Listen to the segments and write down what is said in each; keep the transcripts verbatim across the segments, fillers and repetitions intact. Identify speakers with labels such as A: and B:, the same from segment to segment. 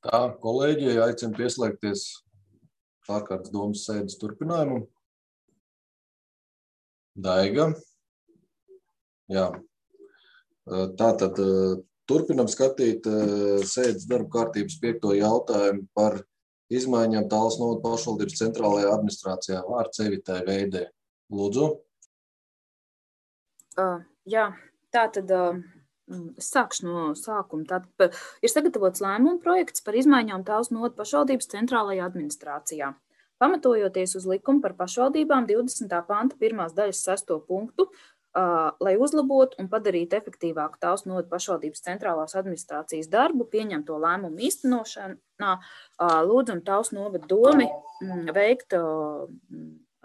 A: Tā, kolēģi, aicinu pieslēgties ārkārtas domas sēdes turpinājumam. Daiga. Jā. Tātad turpinam skatīt sēdes darba kārtības piekto jautājumu par izmaiņām Tallas novada pašvaldības centrālajā administrācijā. Vārds Evitai Veidē. Lūdzu.
B: Uh, jā, tātad uh, es sākšu no sākuma. Tātad ir sagatavots lēmuma projekts par izmaiņām Tallas novada pašvaldības centrālajā administrācijā. Pamatojoties uz likumu par pašvaldībām divdesmitā panta pirmās daļas sesto punktu, uh, lai uzlabotu un padarītu efektīvāku Tallas novada pašvaldības centrālās administrācijas darbu, pieņemto lēmumu īstenošanā, uh, lūdzam Tallas novada domi mm, veikt uh,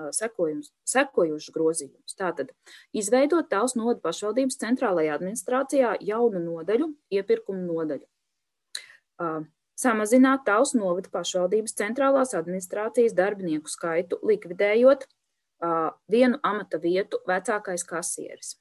B: sekojušus grozījumus. Tātad izveidot Tallas novada pašvaldības centrālajā administrācijā jaunu nodaļu, iepirkumu nodaļu. Uh, Samazināt Tallas novada pašvaldības centrālās administrācijas darbinieku skaitu, likvidējot uh, vienu amata vietu vecākais kasieris.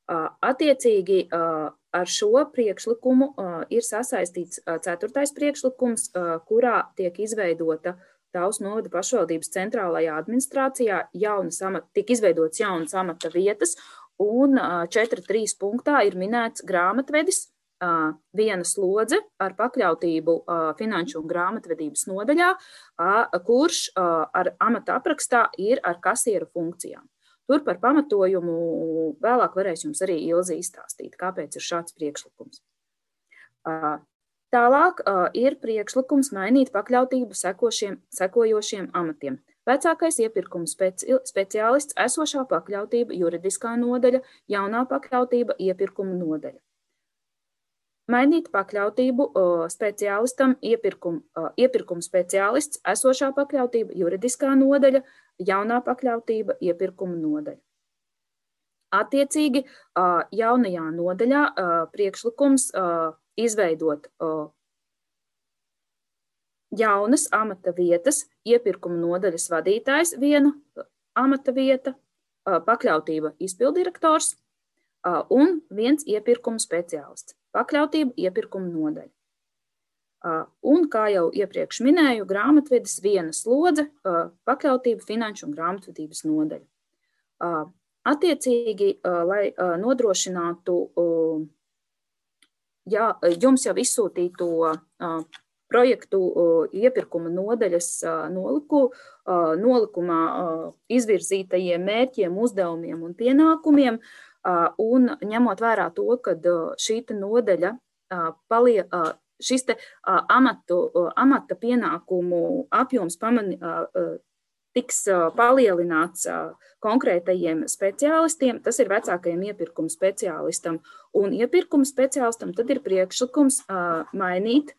B: Uh, attiecīgi uh, ar šo priekšlikumu uh, ir sasaistīts uh, ceturtais priekšlikums, uh, kurā tiek izveidota Tallas novada pašvaldības centrālajā administrācijā jaunas amata, tiek izveidots jaunas amata vietas, un uh, četri trīs punktā ir minēts grāmatvedis, Uh, viena slodze ar pakļautību uh, finanšu un grāmatvedības nodaļā, uh, kurš uh, ar amata aprakstā ir ar kasieru funkcijām. Tur par pamatojumu vēlāk varēs jums arī Ilze izstāstīt, kāpēc ir šāds priekšlikums. Uh, tālāk uh, ir priekšlikums mainīt pakļautību sekošiem, sekojošiem amatiem. Vecākais iepirkuma speci speciālists, esošā pakļautība, juridiskā nodaļa, jaunā pakļautība, iepirkuma nodaļa. Mainīt pakļautību speciālistam, iepirkuma, iepirkuma speciālists, esošā pakļautība, juridiskā nodaļa, jaunā pakļautība, iepirkuma nodaļa. Attiecīgi jaunajā nodaļā priekšlikums izveidot jaunas amata vietas, iepirkuma nodaļas vadītājs viena amata vieta, pakļautība izpildirektors un viens iepirkuma speciālists. Pakļautība iepirkuma nodaļa. Un, kā jau iepriekš minēju, grāmatvedis viena slodze, pakļautība finanšu un grāmatvedības nodaļa. Attiecīgi, lai nodrošinātu jā, jums jau izsūtīto projektu iepirkuma nodaļas noliku, nolikumā izvirzītajiem mērķiem, uzdevumiem un pienākumiem, un ņemot vērā to, ka šī nodaļa, palie, šis te amatu, amata pienākumu apjoms pamani, tiks palielināts konkrētajiem speciālistiem, tas ir vecākajiem iepirkuma speciālistam un iepirkuma speciālistam, tad ir priekšlikums mainīt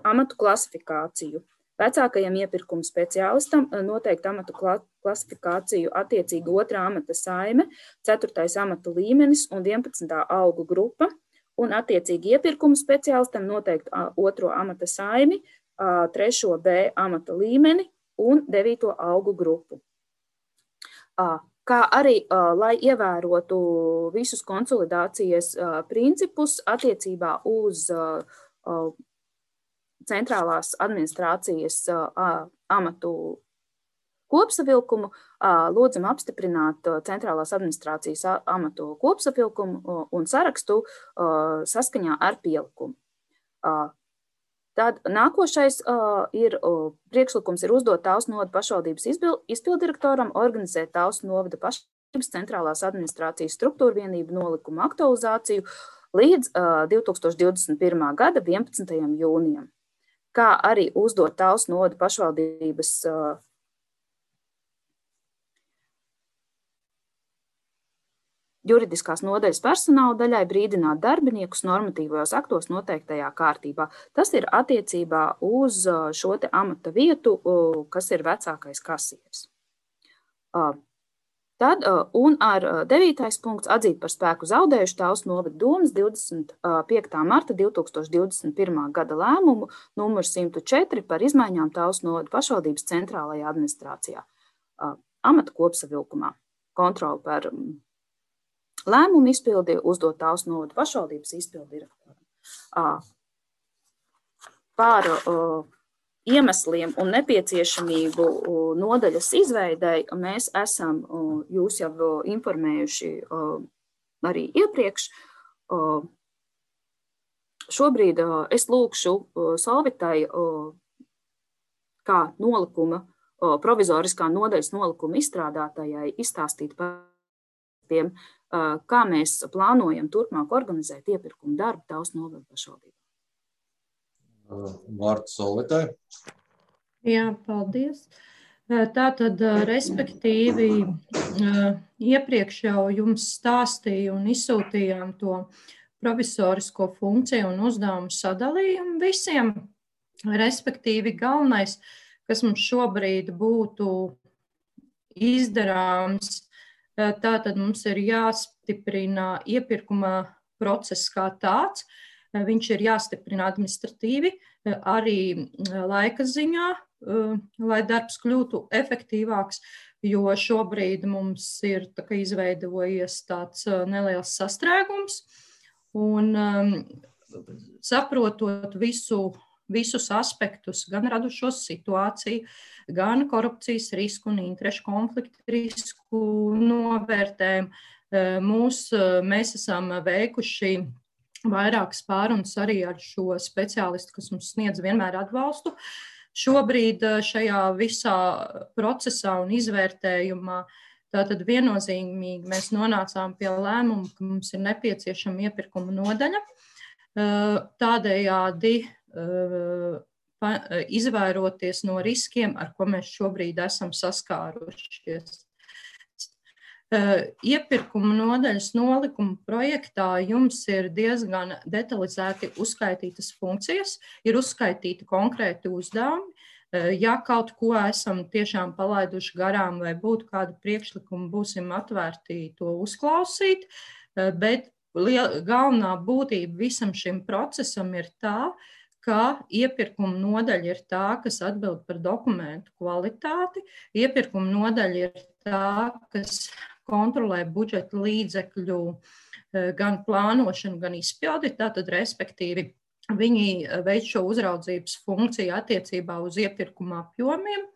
B: amatu klasifikāciju. Vecākajam iepirkuma speciālistam noteikti amatu klasifikāciju attiecīgi otrā amata saime, ceturtais amata līmenis un vienpadsmitā algu grupa, un attiecīgi iepirkuma speciālistam noteikti otro amata saimi, trešo B amata līmeni un devīto algu grupu. Kā arī, lai ievērotu visus konsolidācijas principus attiecībā uz centrālās administrācijas amatu kopsavilkumu, lūdzam apstiprināt centrālās administrācijas amatu kopsavilkumu un sarakstu saskaņā ar pielikumu. Tad nākošais ir priekšlikums ir uzdot Tallas novada pašvaldības izpildirektoram organizēt Tallas novada pašvaldības centrālās administrācijas struktūra vienību nolikumu aktualizāciju līdz divi tūkstoši divdesmit pirmā gada vienpadsmitajam jūnijam. Kā arī uzdot Tallas novada pašvaldības uh, juridiskās nodaļas personāla daļai brīdināt darbiniekus normatīvajos aktos noteiktajā kārtībā. Tas ir attiecībā uz šo te amata vietu, uh, kas ir vecākais kasieris. Uh, Tad, un ar devītais punkts atzīt par spēku zaudējuši Tallas novada domes divdesmit piektā marta divi tūkstoši divdesmit pirmā gada lēmumu numur simt četri par izmaiņām Tallas novada pašvaldības centrālajā administrācijā. Amata kopsavilkumā kontroli par lēmumu izpildi uzdot Tallas novada pašvaldības izpildirektoram. par iemesliem un nepieciešamību nodaļas izveidei mēs esam jūs jau informējuši arī iepriekš. Šobrīd es lūkšu Solvitai kā nolikuma, provizoriskā nodaļas nolikuma izstrādātājai izstāstīt par tiem, kā mēs plānojam turpmāk organizēt iepirkumu darbu Talsu novada pašvaldībā.
A: Vārds Solvitai.
C: Jā, paldies. Tātad, respektīvi, iepriekš jau jums stāstīju un izsūtījām to provisorisko funkciju un uzdevumu sadalījumu visiem. Respektīvi, galvenais, kas mums šobrīd būtu izdarāms, tātad mums ir jāstiprina iepirkuma process kā tāds. Viņš ir jāstiprina administratīvi, arī laika ziņā, lai darbs kļūtu efektīvāks, jo šobrīd mums ir tā, ka izveidojies tāds neliels sastrēgums. Un saprotot visu, visus aspektus, gan radušos situāciju, gan korupcijas risku un interešu konfliktu risku novērtējumu, mūs, mēs esam veikuši vairākas pārunas arī ar šo speciālistu, kas mums sniedz vienmēr atbalstu. Šobrīd šajā visā procesā un izvērtējumā tātad viennozīmīgi mēs nonācām pie lēmuma, ka mums ir nepieciešama iepirkuma nodaļa. Tādējādi izvairoties no riskiem, ar ko mēs šobrīd esam saskārušies. Iepirkuma nodaļas nolikuma projektā jums ir diezgan detalizēti uzskaitītas funkcijas, ir uzskaitīti konkrēti uzdevumi. Ja kaut ko esam tiešām palaiduši garām vai būtu kādu priekšlikumu, būsim atvērti to uzklausīt, bet galvenā būtība visam šim procesam ir tā, ka iepirkuma nodaļa ir tā, kas atbild par dokumentu kvalitāti, iepirkuma nodaļa ir tā, kas kontrolē budžeta līdzekļu gan plānošanu, gan izpildi, tātad respektīvi viņi veic šo uzraudzības funkciju attiecībā uz iepirkuma apjomiem,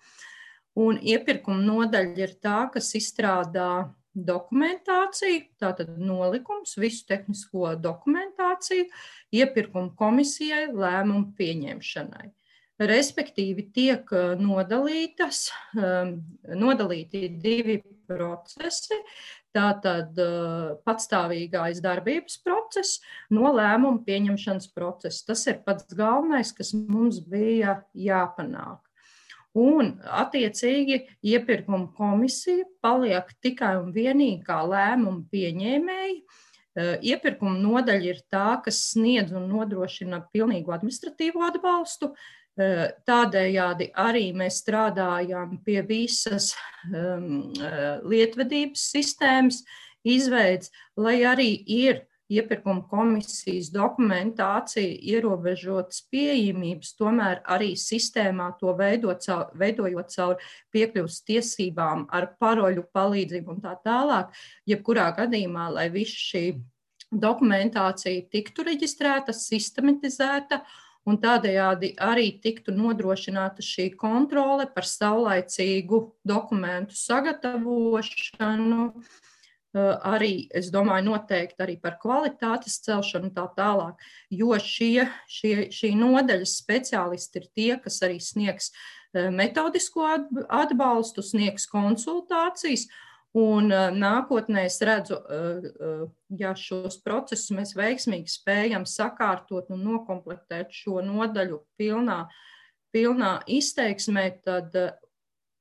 C: un iepirkuma nodaļa ir tā, kas izstrādā dokumentāciju, tātad nolikums, visu tehnisko dokumentāciju, iepirkuma komisijai lēmumu pieņemšanai. Respektīvi tiek nodalītas, nodalīti divi procesi, tātad patstāvīgais darbības process no lēmumu pieņemšanas procesa. Tas ir pats galvenais, kas mums bija jāpanāk. Un attiecīgi iepirkuma komisija paliek tikai un vienīgi kā lēmumu pieņēmēji. Iepirkuma nodaļa ir tā, kas sniedz un nodrošina pilnīgu administratīvo atbalstu. Tādējādi arī mēs strādājam pie visas um, lietvedības sistēmas izveids, lai arī ir iepirkuma komisijas dokumentācija ierobežotas pieejamības, tomēr arī sistēmā to veidot, veidojot caur piekļuvas tiesībām ar paroļu palīdzību un tā tālāk, jebkurā gadījumā, lai visa šī dokumentācija tiktu reģistrēta, sistematizēta, un tādējādi arī tiktu nodrošināta šī kontrole par saulaicīgu dokumentu sagatavošanu, arī, es domāju, noteikti arī par kvalitātes celšanu un tā tālāk, jo šie, šie, šī nodaļas speciālisti ir tie, kas arī sniegs metodisko atbalstu, sniegs konsultācijas. Un nākotnē es redzu, ja šos procesus mēs veiksmīgi spējam sakārtot un nokomplektēt šo nodaļu pilnā, pilnā izteiksmē, tad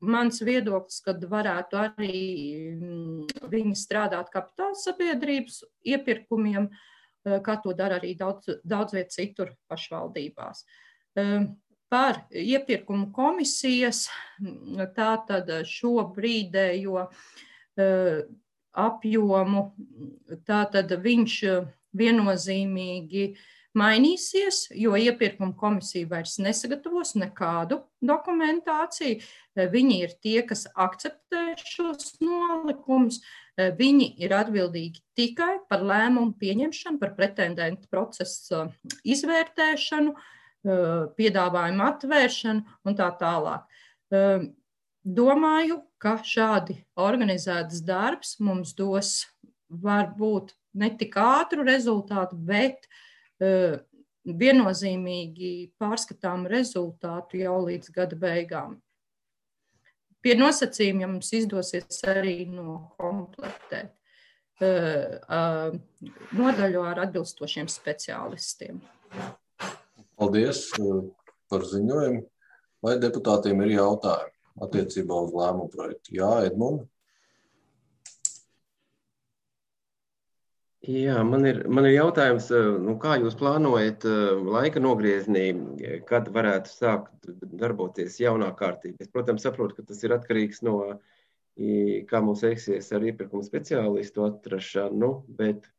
C: mans viedoklis, kad varētu arī viņi strādāt kapitāla sabiedrības iepirkumiem, kā to dara arī daudz, daudz viet citur pašvaldībās. Par iepirkumu komisijas, tātad šobrīdējo apjomu, tātad viņš viennozīmīgi mainīsies, jo iepirkuma komisija vairs nesagatavos nekādu dokumentāciju. Viņi ir tie, kas akceptē šos nolikumus. Viņi ir atbildīgi tikai par lēmumu pieņemšanu, par pretendentu procesu izvērtēšanu, piedāvājumu atvēršanu un tā tālāk. Domāju, ka šādi organizētas darbs mums dos varbūt ne tik ātru rezultātu, bet viennozīmīgi pārskatām rezultātu jau līdz gada beigām. Pie nosacījumiem, ja mums izdosies arī nokomplektēt nodaļu ar atbilstošiem speciālistiem.
A: Paldies par ziņojumu. Vai deputātiem ir jautājumi attiecībā uz lēmumu projektu? Jā, Edmund?
D: Jā, man ir, man ir jautājums, nu, kā jūs plānojat laika nogriezienī, kad varētu sākt darboties jaunā kārtība? Es, protams, saprotu, ka tas ir atkarīgs no, kā mums veiksies ar iepirkumu speciālistu atrašanu, bet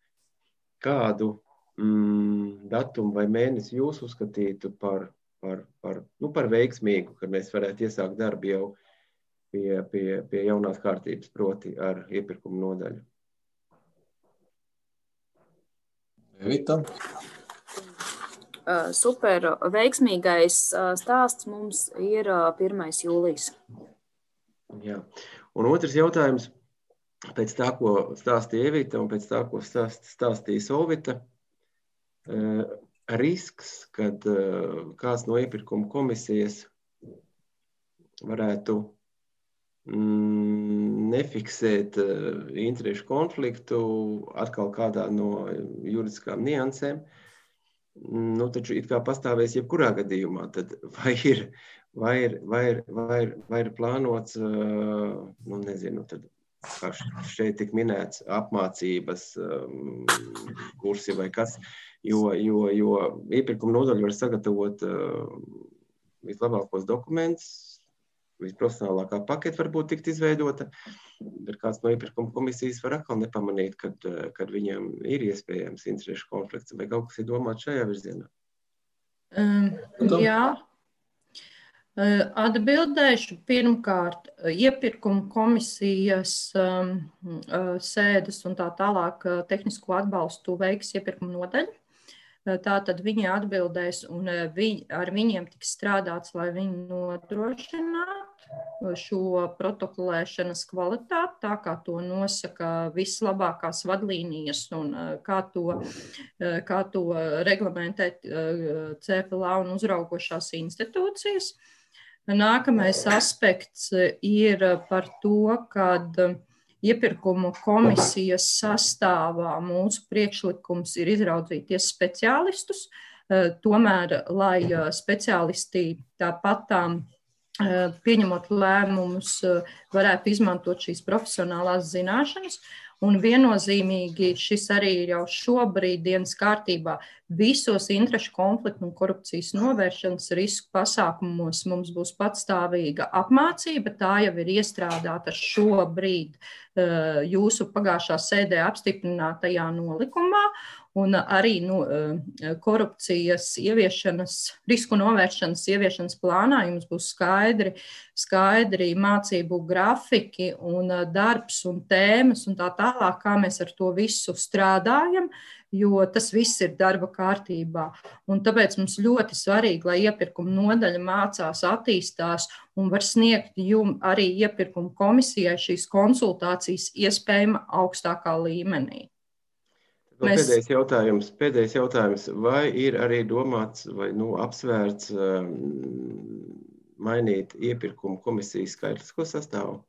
D: kādu mm, datumu vai mēnesi jūs uzskatītu par, par, par, nu, par veiksmīgu, kad mēs varētu iesākt darbu jau pie, pie, pie jaunās kārtības, proti ar iepirkumu nodaļu?
A: Evita?
B: Super veiksmīgais stāsts mums ir pirmais jūlijas.
D: Jā. Un otrs jautājums, pēc tā, ko stāstīja Evita un pēc tā, ko stāst, stāstīja Solvita, risks, kad kāds no iepirkuma komisijas varētu nefiksēt interešu konfliktu atkal kādā no juridiskām niansēm, nu, taču it kā pastāvēs jebkurā gadījumā, tad vai ir, vai ir, vai ir, vai ir, vai ir plānots, nu, nezinu, tad, kā šeit tik minēts, apmācības kursi vai kas, jo, jo, jo iepirkuma nodaļa var sagatavot vislabākos dokumentus, visprofesionālākā paketa varbūt tikt izveidota, bet kāds no iepirkuma komisijas var atkal nepamanīt, kad, kad viņam ir iespējams interešu konflikts, vai kaut kas ir domāts šajā virzienā?
C: Um, jā. Atbildēšu pirmkārt, iepirkuma komisijas um, sēdes un tā tālāk tehnisko atbalstu veiks iepirkuma nodaļa. Tātad viņi atbildēs un viņ, ar viņiem tiks strādāts, lai viņi nodrošinātu šo protokolēšanas kvalitāti, tā kā to nosaka vislabākās vadlīnijas un kā to, kā to reglamentē C F L A un uzraugošās institūcijas. Nākamais aspekts ir par to, kad iepirkumu komisijas sastāvā mūsu priekšlikums ir izraudzīties speciālistus, tomēr, lai speciālisti tāpatām pieņemot lēmumus, varētu izmantot šīs profesionālās zināšanas. Un viennozīmīgi šis arī ir jau šobrīd dienas kārtībā. Visos interešu konfliktu un korupcijas novēršanas risku pasākumos mums būs patstāvīga apmācība. Tā jau ir iestrādāta šobrīd jūsu pagājušā sēdē apstiprinātajā nolikumā. Un arī nu, korupcijas ieviešanas, risku novēršanas ieviešanas plānā jums būs skaidri, skaidri mācību grafiki un darbs un tēmas un tā tālāk, kā mēs ar to visu strādājam, jo tas viss ir darba kārtībā. Un tāpēc mums ļoti svarīgi, lai iepirkuma nodaļa mācās, attīstās un var sniegt jums arī iepirkuma komisijai šīs konsultācijas iespējama augstākā līmenī.
D: Mēs... Pēdējais jautājums, pēdējais jautājums, vai ir arī domāts vai nu, apsvērts um, mainīt iepirkuma komisijas skaitlisko sastāvu?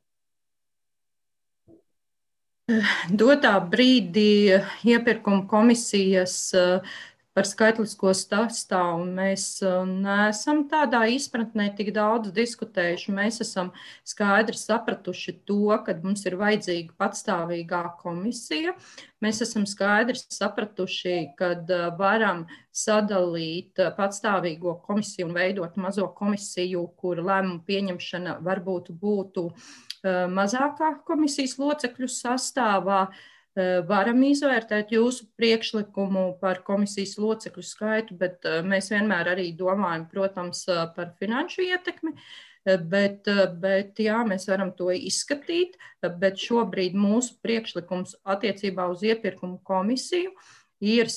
C: Dotā brīdī iepirkuma komisijas par skaitlisko sastāvu mēs neesam tādā izpratnē tik daudz diskutējuši. Mēs esam skaidri sapratuši to, ka mums ir vajadzīga patstāvīgā komisija. Mēs esam skaidri sapratuši, ka varam sadalīt patstāvīgo komisiju un veidot mazo komisiju, kur lēmumu pieņemšana varbūt būtu mazākā komisijas locekļu sastāvā. Varam izvērtēt jūsu priekšlikumu par komisijas locekļu skaitu, bet mēs vienmēr arī domājam, protams, par finanšu ietekmi, bet, bet jā, mēs varam to izskatīt, bet šobrīd mūsu priekšlikums attiecībā uz iepirkumu komisiju ir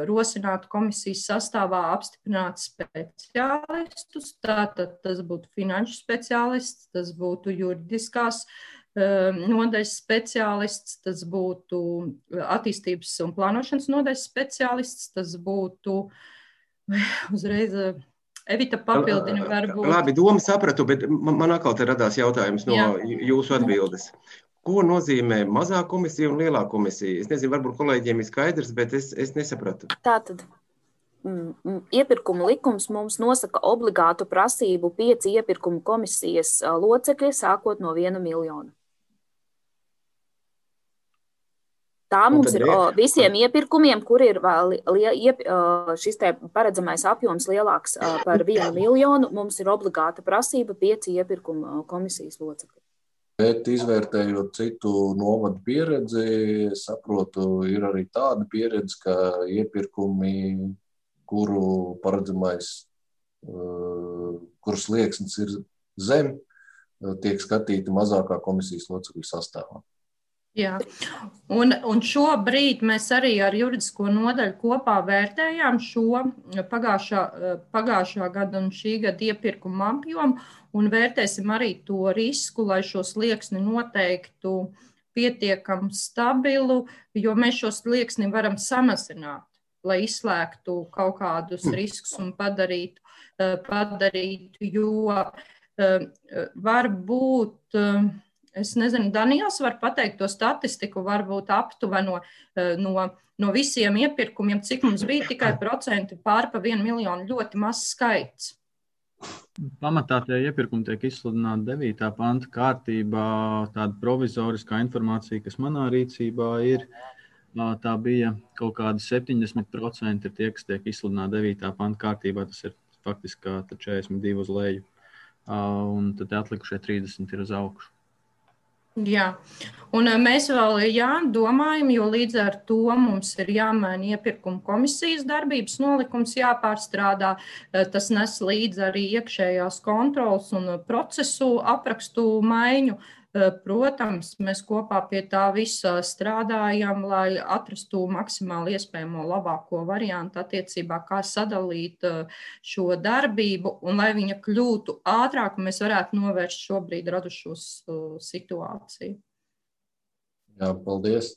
C: rosināta komisijas sastāvā apstiprināt speciālistus. Tātad tas būtu finanšu speciālists, tas būtu juridiskās nodaļas speciālists, tas būtu attīstības un plānošanas nodaļas speciālists, tas būtu uzreiz Evita papildina varbūt.
D: Labi, doma sapratu, bet man atkal te radās jautājums no Jā. jūsu atbildes. Ko nozīmē mazā komisija un lielā komisija? Es nezinu, varbūt kolēģiem ir skaidrs, bet es, es nesapratu.
B: Tātad mm, iepirkuma likums mums nosaka obligātu prasību pieci iepirkuma komisijas locekļi, sākot no viena miljona. Tā mums ir o, visiem iepirkumiem, kur ir li, iep, šis te paredzamais apjoms lielāks par vienu miljonu, mums ir obligāta prasība pieci iepirkuma komisijas locekļi.
A: Bet izvērtējot citu novadu pieredzi, saprotu, ir arī tāda pieredze, ka iepirkumi, kuru paredzamais, kuras slieksnis ir zem, tiek skatīti mazākā komisijas locekļu sastāvā.
C: Jā, un, un šobrīd mēs arī ar juridisko nodaļu kopā vērtējām šo pagājušā, pagājušā gada un šī gada iepirkumu apjomu un vērtēsim arī to risku, lai šo slieksni noteiktu pietiekam stabilu, jo mēs šo slieksni varam samazināt, lai izslēgtu kaut kādus riskus un padarītu, padarītu jo var būt... Es nezinu, Daniels var pateikt to statistiku, varbūt aptuveno no, no visiem iepirkumiem, cik mums bija tikai procenti pār pa vienu miljonu, ļoti mazs skaits.
E: Pamatā tie iepirkumi tiek izsludināti devītā panta kārtībā, tāda provizoriskā informācija, kas manā rīcībā ir, tā bija kaut kādi septiņdesmit procenti tie, kas tiek izsludināti devītā panta kārtībā, tas ir faktiski četrdesmit divi uz leju, un tad atlikušie trīsdesmit ir uz augšu.
C: Jā, un mēs vēl jā, domājam, jo līdz ar to mums ir jāmaina iepirkuma komisijas darbības nolikums, jāpārstrādā. Tas nes līdz arī iekšējās kontrolas un procesu aprakstu maiņu. Protams, mēs kopā pie tā visa strādājam, lai atrastu maksimāli iespējamo labāko variantu attiecībā, kā sadalīt šo darbību un lai viņa kļūtu ātrāk un mēs varētu novērst šobrīd radušos situāciju.
A: Jā, paldies.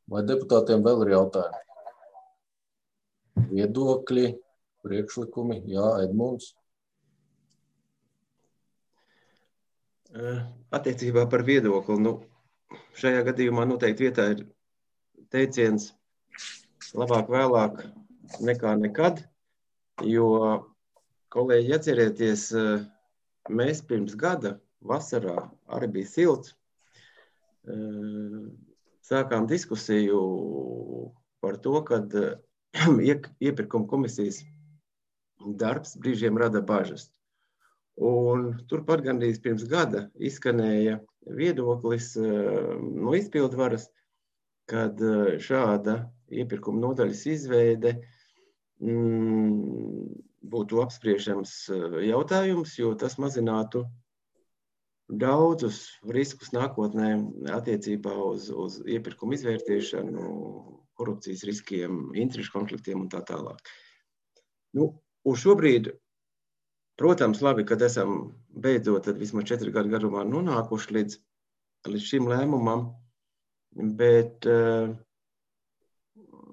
A: Vai deputātiem vēl ir jautājumi? Viedokļi, priekšlikumi? Jā, Edmunds.
D: Attiecībā par viedokli, nu, šajā gadījumā noteikti vietā ir teiciens labāk vēlāk nekā nekad, jo, kolēģi, atcerieties, mēs pirms gada vasarā arī bija silts, sākām diskusiju par to, kad iepirkuma komisijas darbs brīžiem rada bažas. Un turpat gandrīz pirms gada izskanēja viedoklis no izpildvaras, kad šāda iepirkuma nodaļas izveide mm, būtu apspriešams jautājums, jo tas mazinātu daudzus riskus nākotnē attiecībā uz, uz iepirkumu izvērtēšanu, korupcijas riskiem, interešu konfliktiem un tā tālāk. Nu, uz šobrīd protams, labi, kad esam beidzot tad vismaz četri gadu garumā nonākuši līdz, līdz šim lēmumam, bet,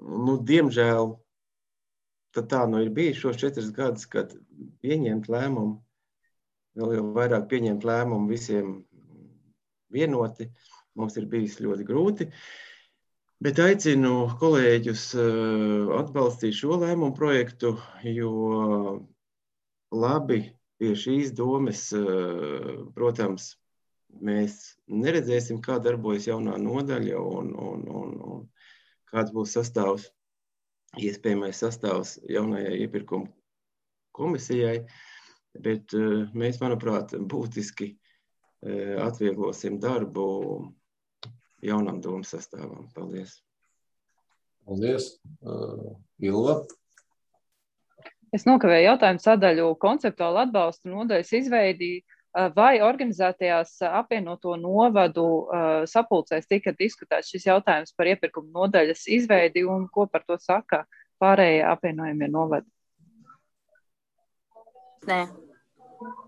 D: nu, diemžēl, tad tā nu ir bijis šos četrus gadus, kad pieņemt lēmumu, vēl jau vairāk pieņemt lēmumu visiem vienoti, mums ir bijis ļoti grūti, bet aicinu kolēģus atbalstīt šo lēmumu projektu, jo labi, pie šīs domas, protams, mēs neredzēsim, kā darbojas jaunā nodaļa un, un, un, un kāds būs sastāvs, iespējamais sastāvs jaunajai iepirkuma komisijai, bet mēs, manuprāt, būtiski atvieglosim darbu jaunam domas sastāvam. Paldies!
A: Paldies! Uh, Ilva?
F: Es nokavēju jautājumu sadaļu konceptuālu atbalstu nodaļas izveidi vai organizētajās apvienoto novadu sapulcēs tika diskutēts šis jautājums par iepirkuma nodaļas izveidi un ko par to saka pārējie apvienojumie novadi?
B: Nē.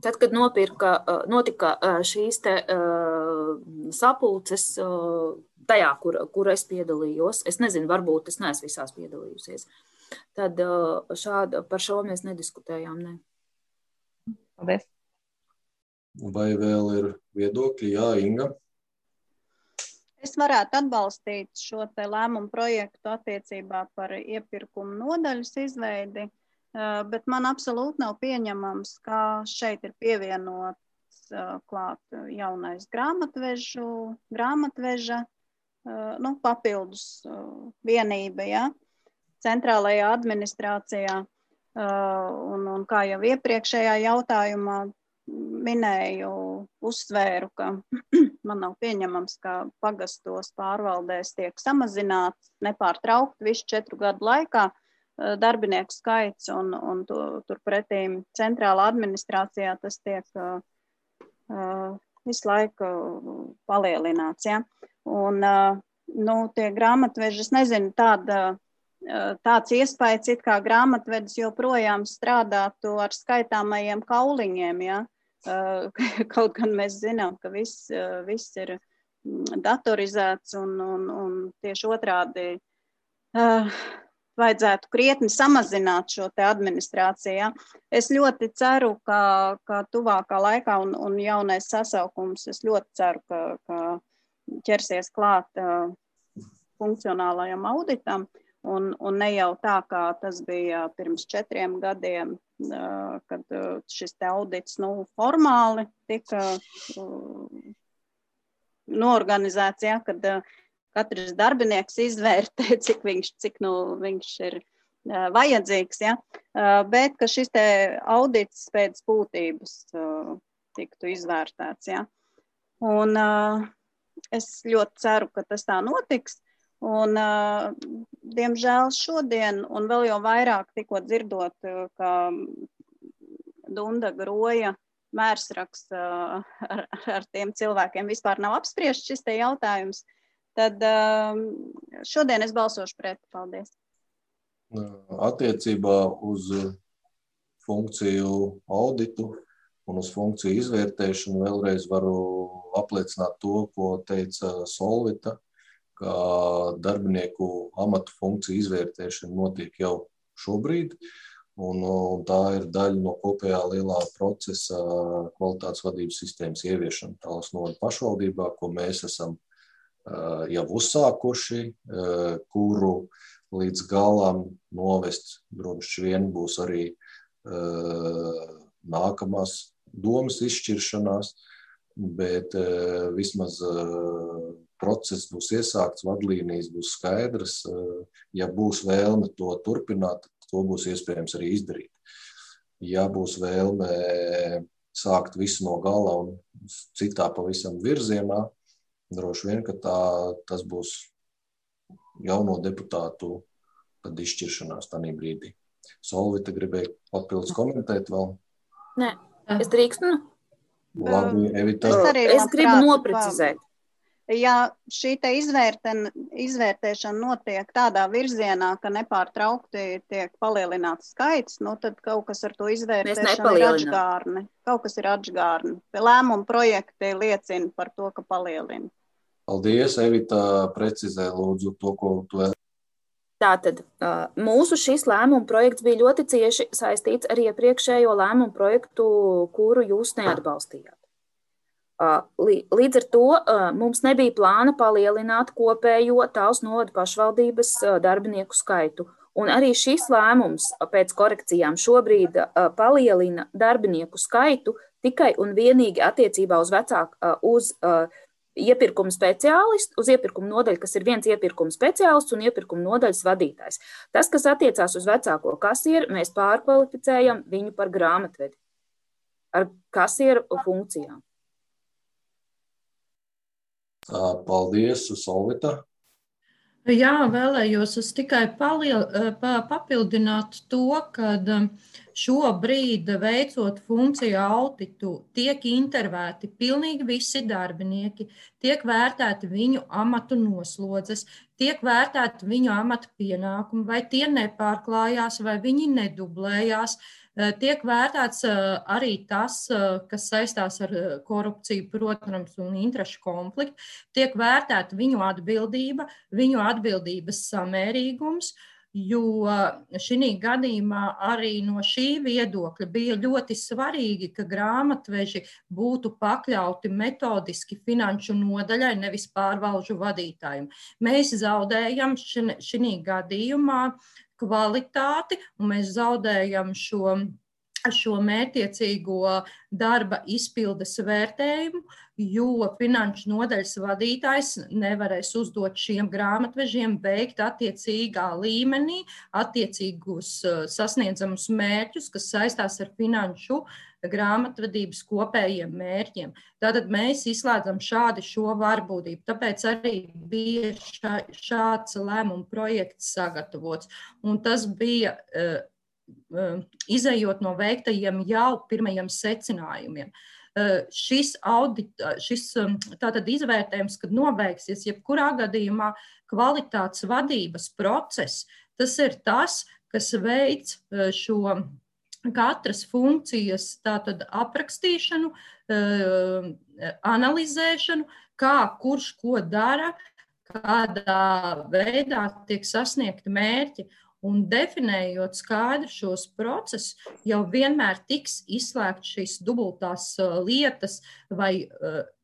B: Tad, kad nopirka, notika šīs te uh, sapulces uh, tajā, kur, kur es piedalījos, es nezinu, varbūt es neesmu visās piedalījusies, tad uh, šāda, par šo mēs nediskutējām, ne.
F: Paldies.
A: Vai vēl ir viedokļi? Jā, Inga.
G: Es varētu atbalstīt šo te lēmumu projektu attiecībā par iepirkumu nodaļas izveidi, bet man absolūti nav pieņemams, ka šeit ir pievienots klāt jaunais grāmatvežu, grāmatveža, nu, papildus vienība, ja, centrālajā administrācijā. Un, un kā jau iepriekšējā jautājumā minēju, uzsvēru, ka man nav pieņemams, ka pagastos pārvaldēs tiek samazināts nepārtraukti visu četru gadu laikā darbinieku skaits, un, un to, turpretīm centrālā administrācijā tas tiek uh, uh, visu laiku palielināts. Ja? Un, uh, nu, tie grāmatveži, es nezinu, tāda, uh, tāds iespējas, it kā grāmatvedis joprojām strādātu ar skaitāmajiem kauliņiem, ja? uh, kaut gan mēs zinām, ka viss, uh, viss ir datorizēts un, un, un tieši otrādi uh, vajadzētu krietni samazināt šo te administrāciju. Ja? Es ļoti ceru, ka, ka tuvākā laikā un, un jaunais sasaukums, es ļoti ceru, ka, ka ķersies klāt uh, funkcionālajam auditam un, un ne jau tā, kā tas bija pirms četriem gadiem, uh, kad uh, šis te audits nu, formāli tika uh, noorganizēts, ja? Kad uh, katrs darbinieks izvērtē, cik viņš, cik, nu, viņš ir uh, vajadzīgs, ja? uh, bet ka šis te audits pēc būtības uh, tiktu izvērtēts. Ja? Un uh, es ļoti ceru, ka tas tā notiks. Un, uh, diemžēl šodien, un vēl jau vairāk tikko dzirdot, uh, ka Dunda Groja mērsraksts uh, ar, ar tiem cilvēkiem vispār nav apspriests šis te jautājums, tad šodien es balsošu pret. Paldies.
A: Attiecībā uz funkciju auditu un uz funkciju izvērtēšanu vēlreiz varu apliecināt to, ko teica Solvita, ka darbinieku amatu funkciju izvērtēšana notiek jau šobrīd, un, un tā ir daļa no kopējā lielā procesa kvalitātes vadības sistēmas ieviešana Tallas novada pašvaldībā, ko mēs esam jau uzsākuši, kuru līdz galam novest droši vien būs arī nākamās domas izšķiršanās, bet vismaz process būs iesākts, vadlīnijas būs skaidras. Ja būs vēlme to turpināt, to būs iespējams arī izdarīt. Ja būs vēlme sākt visu no gala un citā pavisam virzienā, droši vien, ka tā, tas būs jauno deputātu tad izšķiršanās tādā brīdī. Solvita gribēja papildus komentēt vēl?
B: Nē, es drīkstu.
A: Labi, Evita.
G: Es,
B: es gribu noprecizēt.
G: Ja šī te izvērten, izvērtēšana notiek tādā virzienā, ka nepārtraukti tiek palielināts skaits, nu tad kaut kas ar to izvērtēšanu ir atžgārni. Kaut kas ir atžgārni. Lēmumu projekti liecina par to, ka palielina.
A: Paldies, Evita, precizē lūdzu to, ko tu vēl.
B: Tātad mūsu šis lēmuma projekts bija ļoti cieši saistīts ar iepriekšējo lēmumu projektu, kuru jūs neatbalstījāt. Līdz ar to mums nebija plāna palielināt kopējo Tallas novada pašvaldības darbinieku skaitu. Un arī šis lēmums pēc korekcijām šobrīd palielina darbinieku skaitu tikai un vienīgi attiecībā uz vecāku, uz iepirkuma speciālistu, uz iepirkuma nodaļu, kas ir viens iepirkuma speciālists un iepirkuma nodaļas vadītājs. Tas, kas attiecās uz vecāko kasieru, mēs pārkvalificējam viņu par grāmatvedi ar kasieru funkcijām.
A: Paldies, Solvita.
C: Jā, vēlējos es tikai paliel, papildināt to, ka šobrīd veicot funkciju auditu tiek intervēti pilnīgi visi darbinieki, tiek vērtēti viņu amatu noslodzes, tiek vērtēti viņu amatu pienākumi, vai tie nepārklājās, vai viņi nedublējās. Tiek vērtēts arī tas, kas saistās ar korupciju, protams, un interešu konfliktu. Tiek vērtēta viņu atbildība, viņu atbildības samērīgums, jo šī gadījumā arī no šī viedokļa bija ļoti svarīgi, ka grāmatveži būtu pakļauti metodiski finanšu nodaļai, nevis pārvalžu vadītājiem. Mēs zaudējam šī gadījumā kvalitāti, un mēs zaudējam šo, šo mērķiecīgo darba izpildes vērtējumu, jo finanšu nodaļas vadītājs nevarēs uzdot šiem grāmatvežiem veikt attiecīgā līmenī, attiecīgus sasniedzamus mērķus, kas saistās ar finanšu grāmatvedības kopējiem mērķiem. Tātad mēs izslēdzam šādi šo varbūtību. Tāpēc arī bija šā, šāds lēmuma projekts sagatavots. Un tas bija uh, uh, izejot no veiktajiem jau pirmajiem secinājumiem. Uh, šis audit, šis um, tātad izvērtējums, kad nobeigsies, jebkurā gadījumā kvalitātes vadības process, tas ir tas, kas veic uh, šo katras funkcijas tātad aprakstīšanu, analizēšanu, kā kurš ko dara, kādā veidā tiek sasniegti mērķi. Un definējot skaidri šos procesus, jau vienmēr tiks izslēgt šīs dubultās lietas vai,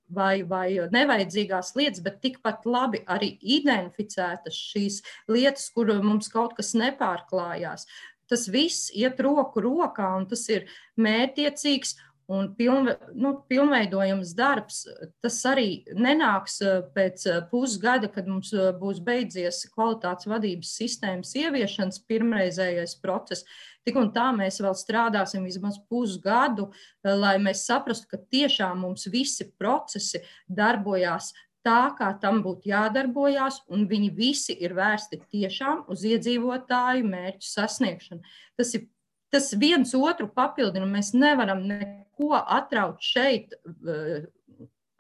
C: vai, vai nevajadzīgās lietas, bet tikpat labi arī identificētas šīs lietas, kur mums kaut kas nepārklājās. Tas viss iet roku rokā, un tas ir mērķiecīgs un pilnve, nu, pilnveidojams darbs. Tas arī nenāks pēc pusgada, kad mums būs beidzies kvalitātes vadības sistēmas ieviešanas pirmreizējais process. Tik un tā mēs vēl strādāsim vismaz pusgadu, lai mēs saprastu, ka tiešām mums visi procesi darbojās tā, kā tam būtu jādarbojās, un viņi visi ir vērsti tiešām uz iedzīvotāju mērķu sasniegšanu. Tas ir tas viens otru papildina, mēs nevaram neko atraut šeit,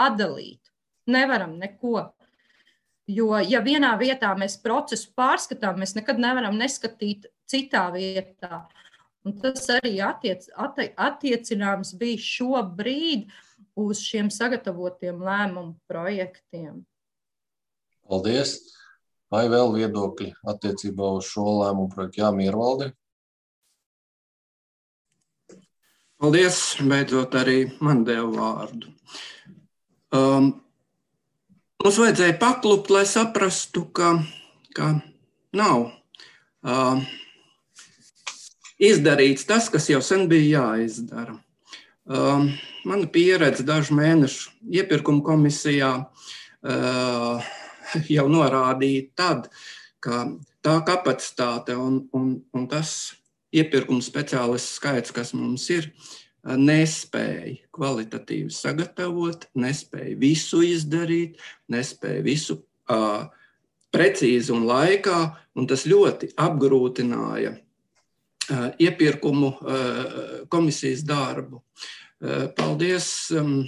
C: atdalīt. Nevaram neko. Jo, ja vienā vietā mēs procesu pārskatām, mēs nekad nevaram neskatīt citā vietā. Un tas arī attiec, atti, attiecināms bija šobrīd uz šiem sagatavotiem lēmumu projektiem.
A: Paldies! Vai vēl viedokļi attiecībā uz šo lēmumu projektu? Jā, Miervaldi?
H: Paldies! Beidzot arī man deva vārdu. Um, mums vajadzēja paklupt, lai saprastu, ka, ka nav uh, izdarīts tas, kas jau sen bija jāizdara. Uh, mana pieredze dažu mēnešu iepirkuma komisijā uh, jau norādīja tad, ka tā kapacitāte un, un, un tas iepirkuma speciālistu skaits, kas mums ir, nespēja kvalitatīvi sagatavot, nespēja visu izdarīt, nespēja visu uh, precīzi un laikā, un tas ļoti apgrūtināja uh, iepirkumu uh, komisijas darbu. Paldies um,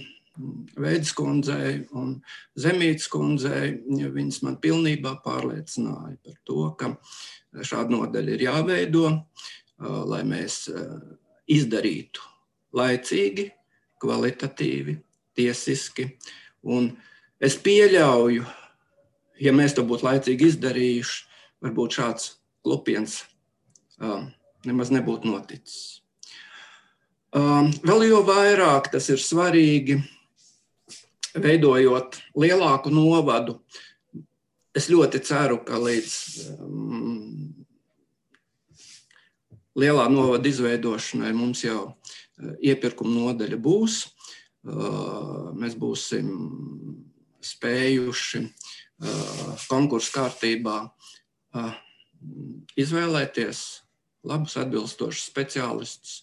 H: Veidas kundzei un Zemītes kundzei. Viņas man pilnībā pārliecināja par to, ka šāda nodaļa ir jāveido, uh, lai mēs uh, izdarītu laicīgi, kvalitatīvi, tiesiski. Un es pieļauju, ja mēs to būtu laicīgi izdarījuši, varbūt šāds klupiens um, nemaz nebūtu noticis. Um, vēl jo vairāk tas ir svarīgi, veidojot lielāku novadu. Es ļoti ceru, ka līdz um, lielā novada izveidošanai mums jau uh, iepirkuma nodaļa būs. Uh, mēs būsim spējuši uh, konkursu kārtībā uh, izvēlēties labus atbilstošus speciālistus,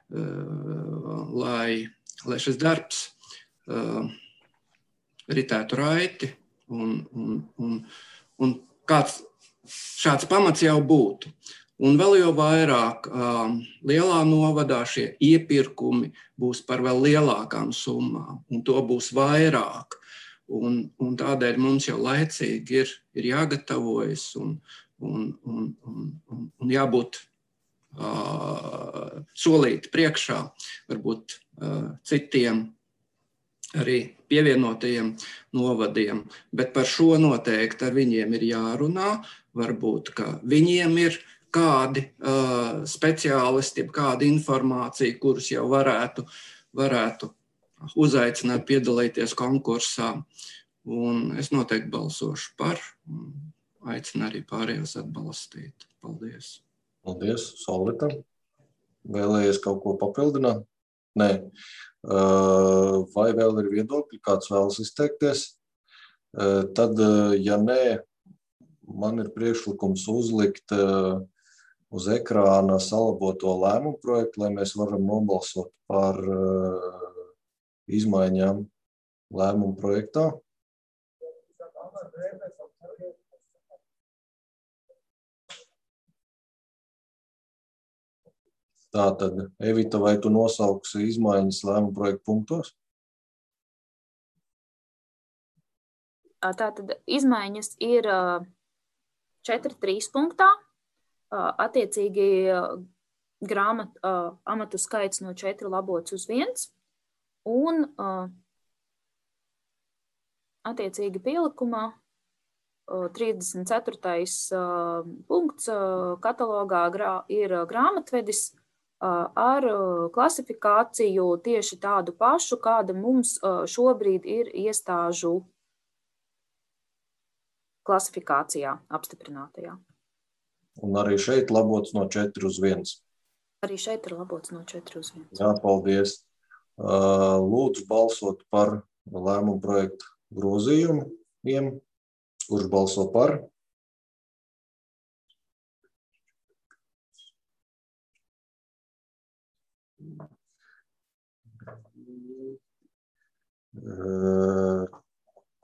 H: Lai, lai šis darbs uh, ritētu raiti un, un, un, un kāds šāds pamats jau būtu. Un vēl jau vairāk lielā novadā šie iepirkumi būs par vēl lielākām summām, un to būs vairāk. Un, un tādēļ mums jau laicīgi ir, ir jāgatavojas un, un, un, un, un, un jābūt uh, solīti priekšā, varbūt uh, citiem arī pievienotajiem novadiem, bet par šo noteikti ar viņiem ir jārunā, varbūt, ka viņiem ir kādi uh, speciālisti, kāda informācija, kurus jau varētu, varētu uzaicināt piedalīties konkursā, un es noteikti balsošu par, un aicinu arī pārējos atbalstīt. Paldies.
A: Paldies, Solvita. Vēlējies kaut ko papildināt? Nē. Vai vēl ir viedokļi, kāds vēlas izteikties? Tad, ja nē, man ir priekšlikums uzlikt uz ekrāna salaboto lēmumu projektu, lai mēs varam nobalsot par izmaiņām lēmumu projektā. Tātad, Evita, vai tu nosauksi izmaiņas lēmumu projektu punktos?
B: Tātad izmaiņas ir četri trīs punktā. Attiecīgi grāmat, amatu skaits no četri labots uz viens. Un attiecīgi pielikumā trīsdesmit ceturtais punkts katalogā ir grāmatvedis ar klasifikāciju tieši tādu pašu, kāda mums šobrīd ir iestāžu klasifikācijā apstiprinātajā.
A: Un arī šeit labots no četri uz viens.
B: Arī šeit ir labots no četri uz viens.
A: Jā, paldies. Lūdzu balsot par lēmumu projektu grozījumiem. Kurš balso par?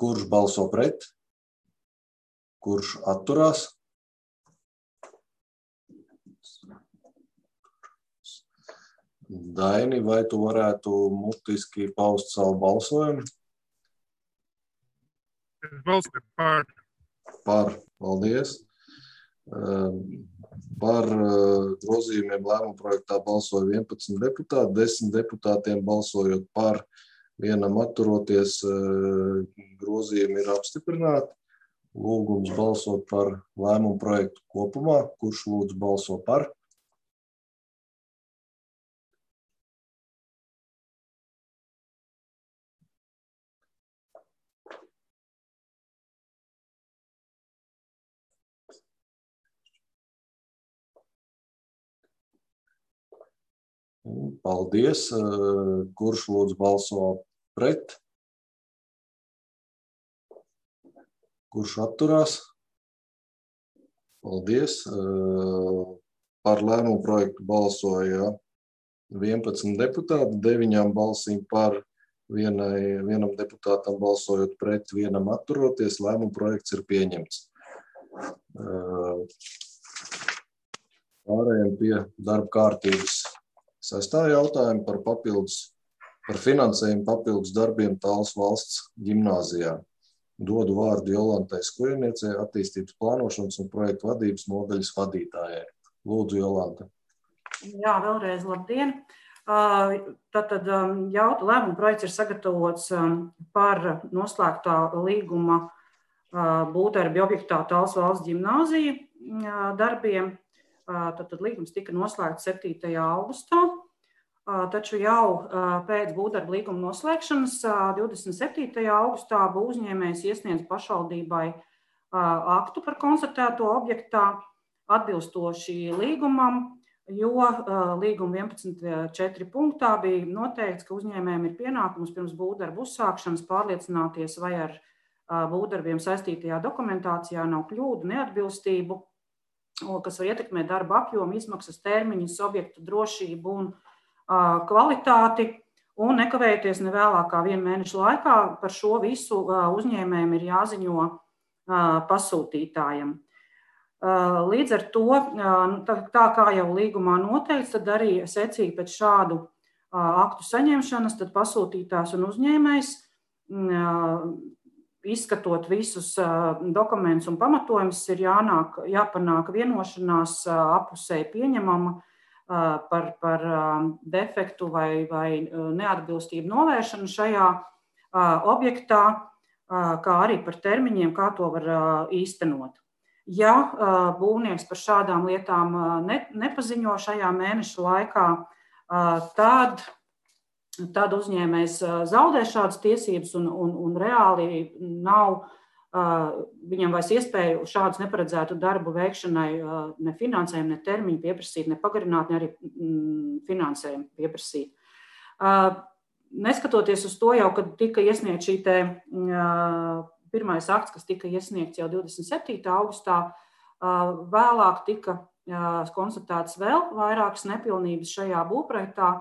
A: Kurš balso pret? Kurš atturās? Daini, vai tu varētu mutiski paust savu balsojumu?
I: Es balsoju par.
A: Par, paldies. Par grozījumiem lēmumu projektā balsoja vienpadsmit deputāti, desmit deputātiem balsojot par, vienam atturoties, grozījumi ir apstiprināti. Lūgums balsot par lēmumu projektu kopumā. Kurš lūdzu balso par? Paldies. Kurš lūdzu balso pret? Kurš atturās? Paldies. Par lēmumu projektu balsoja vienpadsmit deputāti, deviņām balsīm par, vienai, vienam deputātam balsojot pret, vienam atturoties. Lēmumu projekts ir pieņemts. Pārējiem pie darba kārtības. Sestā jautājuma par papildus, par finansējumu papildus darbiem Talsu valsts ģimnāzijā. Dodu vārdu Jolantai Skujniecei, attīstības plānošanas un projektu vadības nodaļas vadītājai. Lūdzu, Jolanta.
J: Jā, vēlreiz labdien. Tātad jauta lēmuma projekts ir sagatavots par noslēgtā līguma būvdarbi objektā Talsu valsts ģimnāzija darbiem. Tātad līgums tika noslēgts septītajā augustā, taču jau pēc būvdarba līguma noslēgšanas divdesmit septītajā augustā būvuzņēmējs iesniedz pašvaldībai aktu par konstatēto objektā atbilstoši līgumam, jo līguma vienpadsmit četri punktā bija noteikts, ka uzņēmējiem ir pienākums pirms būvdarba uzsākšanas pārliecināties, vai ar būvdarbiem saistītajā dokumentācijā nav kļūdu, neatbilstību, kas var ietekmēt darba apjomu, izmaksas, termiņus, objektu drošību un uh, kvalitāti, un nekavējoties ne vēlāk kā vienu mēnešu laikā par šo visu uh, uzņēmējiem ir jāziņo uh, pasūtītājam. Līdz ar to, tā kā jau līgumā noteikts, tad arī secīgi pēc šādu aktu saņemšanas, tad pasūtītājs un uzņēmējs, izskatot visus dokumentus un pamatojumus, ir jānāk, jāpanāk vienošanās appusēji pieņemama par, par defektu vai, vai neatbilstību novēršanu šajā objektā, kā arī par termiņiem, kā to var īstenot. Ja būvnieks par šādām lietām ne, nepaziņo šajā mēneša laikā, tad, tad uzņēmējs zaudē šādas tiesības un, un, un reāli nav viņam vairs iespēju šādus neparedzētu darbu veikšanai ne finansējumu, ne termiņu pieprasīt, ne pagarināt, ne arī finansējumu pieprasīt. Neskatoties uz to jau, kad tika iesniegts šī te pirmais akts, kas tika iesniegts jau divdesmit septītā augustā, vēlāk tika konstatēts vēl vairākas nepilnības šajā būvprojektā,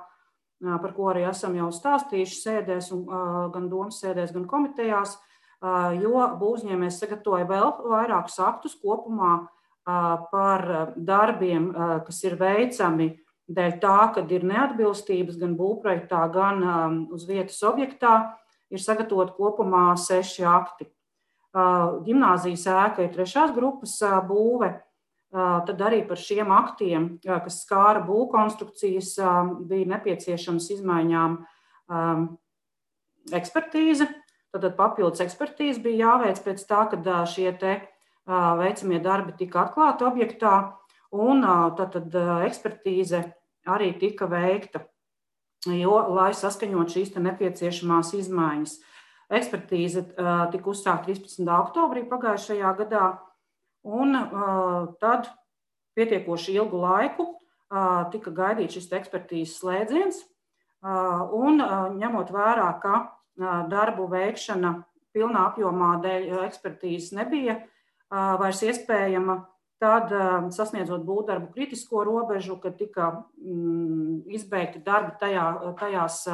J: par ko arī esam jau stāstījuši sēdēs, gan domas sēdēs, gan komitejās, jo būvniecības sagatavoja vēl vairākus aktus kopumā par darbiem, kas ir veicami dēļ tā, kad ir neatbilstības gan būvprojektā, gan uz vietas objektā, ir sagatavot kopumā seši akti. Ģimnāzijas ēka ir trešās grupas būve, tad arī par šiem aktiem, kas skāra būvkonstrukcijas, bija nepieciešams izmaiņām ekspertīze. Tad papildus ekspertīze bija jāveic pēc tā, kad šie te veicamie darbi tika atklāti objektā, un tad, tad ekspertīze arī tika veikta, jo, lai saskaņot šīs te nepieciešamās izmaiņas. Ekspertīze tika uzsākta trīspadsmitā oktobrī pagājušajā gadā, un tad pietiekoši ilgu laiku tika gaidīts šis ekspertīzes slēdziens, un ņemot vērā, ka darbu veikšana pilnā apjomā dēļ ekspertīzes nebija vairs iespējama, tad sasniedzot būvdarbu kritisko robežu, kad tika izbeigti darbi tajā, tajās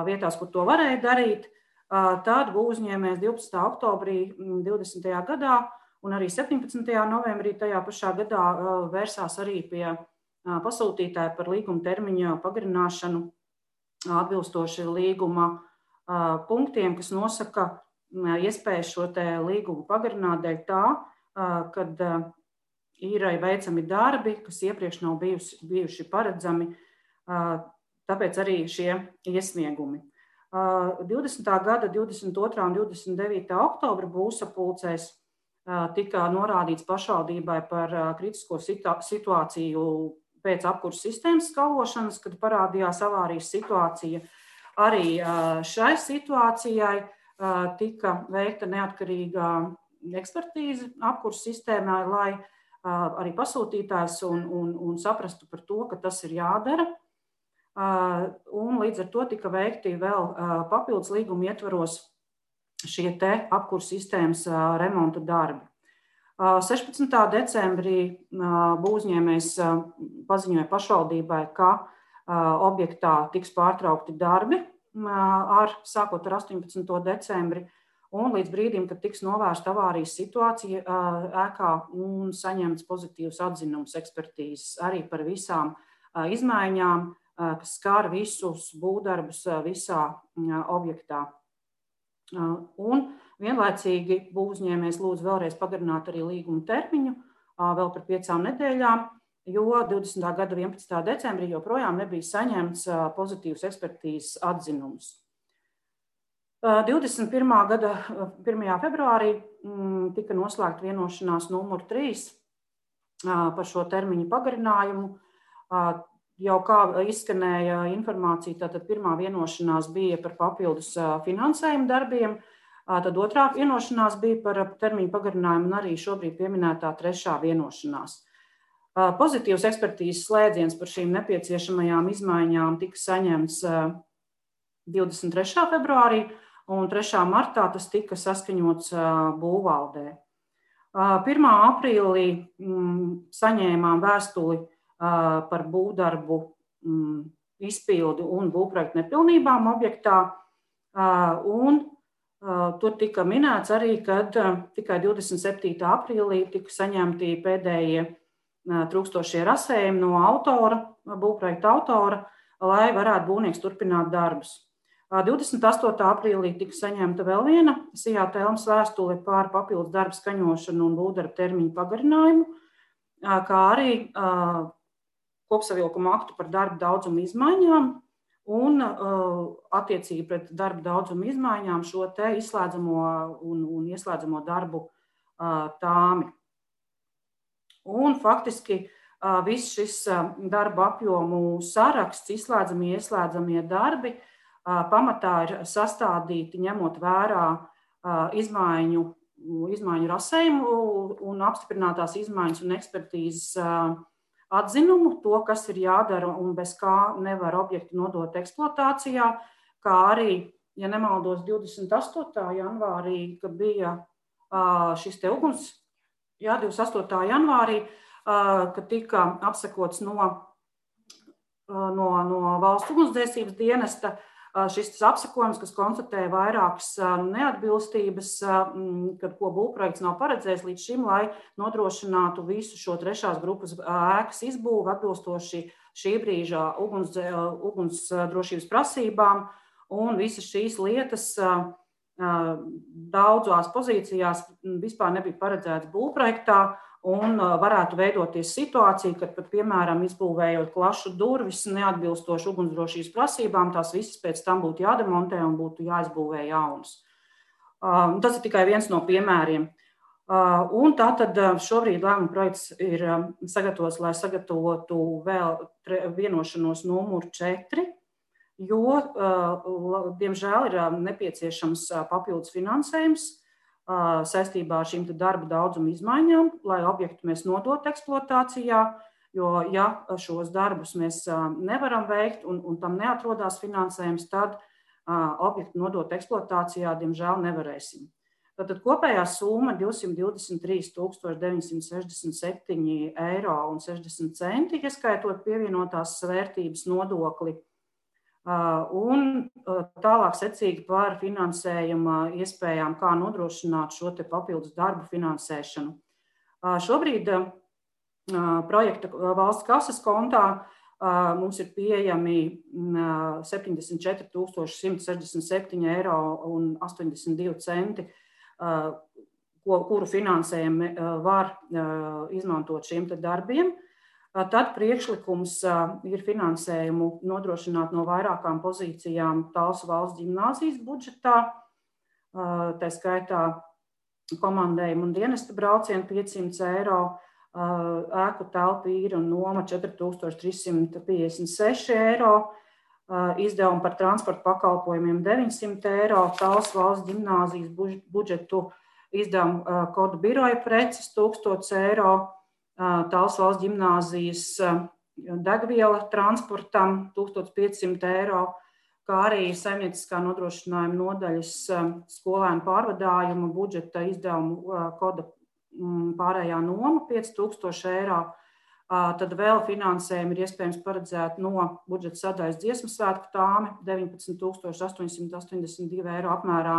J: vietās, kur to varēja darīt, tad būvuzņēmējs divpadsmitā oktobrī divdesmitajā gadā un arī septiņpadsmitajā novembrī tajā pašā gadā vērsās arī pie pasūtītāja par līguma termiņa pagarināšanu atbilstoši līguma punktiem, kas nosaka iespēju šo te līgumu pagarināt dēļ tā, kad ir veicami darbi, kas iepriekš nav bijusi, bijuši paredzami, tāpēc arī šie iesniegumi. divdesmitā gada divdesmit otrā un divdesmit devītā oktobra būvsapulcēs tika norādīts pašvaldībai par kritisko situāciju pēc apkurses sistēmas skalošanas, kad parādījās avārijas situācija. Arī šai situācijai tika veikta neatkarīga ekspertīze apkurses sistēmā, lai arī pasūtītājs un, un, un saprastu par to, ka tas ir jādara. Un līdz ar to tika veikti vēl papildus līguma ietvaros šie te apkurses sistēmas remonta darbi. sešpadsmitā decembrī būvniecības paziņoja pašvaldībai, ka objektā tiks pārtraukti darbi ar, sākot ar astoņpadsmito decembri, un līdz brīdim, kad tiks novērsta avārijas situācija ēkā un saņemts pozitīvs atzinums ekspertīzes arī par visām izmaiņām, kas skar visus būvdarbus visā objektā. Un vienlaicīgi būvuzņēmējs lūdz vēlreiz pagarināt arī līguma termiņu vēl par piecām nedēļām, jo divdesmitā gada vienpadsmitā decembrī joprojām nebija saņemts pozitīvs ekspertīzes atzinums. divdesmit pirmā gada pirmajā februārī tika noslēgta vienošanās numur trīs par šo termiņu pagarinājumu. Jau kā izskanēja informācija, tātad pirmā vienošanās bija par papildus finansējumu darbiem, tad otrā vienošanās bija par termiņu pagarinājumu un arī šobrīd pieminētā trešā vienošanās. Pozitīvs ekspertīzes slēdziens par šīm nepieciešamajām izmaiņām tika saņemts divdesmit trešā februārī, un trešā martā tas tika saskaņots būvvaldē. pirmā aprīlī saņēmām vēstuli par būvdarbu izpildu un būvprojektu nepilnībām objektā, un Tur tika minēts arī, ka tikai divdesmit septītā aprīlī tika saņemti pēdējie trūkstošie rasējumi no autora, būvprojekta autora, lai varētu būvnieks turpināt darbus. divdesmit astotā aprīlī tika saņemta vēl viena Sijā Telmas vēstule par papildus darbu skaņošanu un būvdarbu termiņu pagarinājumu, kā arī kopsavilkuma aktu par darbu daudzumu izmaiņām un attiecīgi pret darbu daudzumu izmaiņām šo te izslēdzamo un, un ieslēdzamo darbu tāmi. Un faktiski viss šis darba apjomu saraksts, izslēdzamie, ieslēdzamie darbi, pamatā ir sastādīti ņemot vērā izmaiņu, izmaiņu rasējumu un apstiprinātās izmaiņas un ekspertīzes atzinumu, to, kas ir jādara un bez kā nevar objektu nodot eksploatācijā, kā arī, ja nemaldos, divdesmit astotā janvārī, kad bija šis te uguns, jā, divdesmit astotā janvārī, kad tika apsekots no, no, no valsts ugunsdzēsības dienesta šis apsekojums, kas konstatēja vairākas neatbilstības, kad ko būvprojekts nav paredzējis līdz šim, lai nodrošinātu visu šo trešās grupas ēkas izbūvi atbilstoši šī brīža uguns, ugunsdrošības prasībām, un visas šīs lietas daudzās pozīcijās vispār nebija paredzētas būvprojektā, un varētu veidoties situācija, kad pat, piemēram, izbūvējot klašu durvis neatbilstoši ugunsdrošības prasībām, tās visas pēc tam būtu jādemontē un būtu jāizbūvē jaunas. Tas ir tikai viens no piemēriem. Un tātad šobrīd lēmuma projekts ir sagatavots, lai sagatavotu vēl vienošanos numuru četri, jo, diemžēl, ir nepieciešams papildus finansējums saistībā ar šīm darba daudzumu izmaiņām, lai objektu mēs nodot eksploatācijā, jo, ja šos darbus mēs nevaram veikt un, un tam neatrodās finansējums, tad objektu nodot eksploatācijā, diemžēl, nevarēsim. Tātad kopējā summa divsimt divdesmit trīs tūkstoši deviņsimt sešdesmit septiņi eiro un sešdesmit centi, ieskaitot pievienotās vērtības nodokli. Un tālāk secīgi par finansējuma iespējām, kā nodrošināt šo te papildus darbu finansēšanu. Šobrīd projekta valsts kases kontā mums ir pieejami septiņdesmit četri tūkstoši simt sešdesmit septiņi eiro un astoņdesmit divi centi, kuru finansējumu var izmantot šiem te darbiem. Tad priekšlikums ir finansējumu nodrošināt no vairākām pozīcijām Talsu valsts ģimnāzijas budžetā, tā skaitā komandējumu un dienesta braucienu piecsimt eiro, ēku telpu īra un noma četri tūkstoši trīs simti piecdesmit seši eiro, izdevumi par transporta pakalpojumiem deviņsimt eiro, Talsu valsts ģimnāzijas budžetu izdevumu kodu biroja preces tūkstots eiro, Talsu valsts ģimnāzijas degviela transportam tūkstoš piecsimt eiro, kā arī saimnieciskā nodrošinājuma nodaļas skolēnu pārvadājuma budžeta izdevumu koda pārējā noma pieci tūkstoši eiro. Tad vēl finansējumu ir iespējams paredzēt no budžeta sadaļas dziesmu svētku tāme deviņpadsmit tūkstoši astoņsimt astoņdesmit divi eiro apmērā,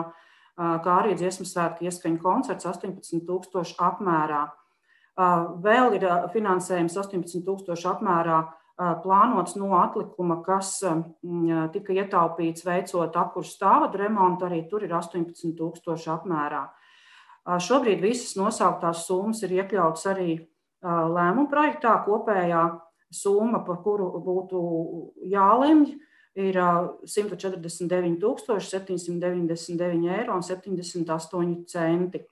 J: kā arī dziesmu svētku ieskaņu koncerts astoņpadsmit tūkstoši apmērā. Vēl ir finansējums astoņpadsmit tūkstoši apmērā plānots no atlikuma, kas tika ietaupīts veicot apkursu stāvvadu remontu, arī tur ir astoņpadsmit tūkstoši apmērā. Šobrīd visas nosauktās summas ir iekļautas arī lēmuma projektā. Kopējā summa, par kuru būtu jālemj, ir simt četrdesmit deviņi tūkstoši septiņsimt deviņdesmit deviņi eiro un septiņdesmit astoņi centi.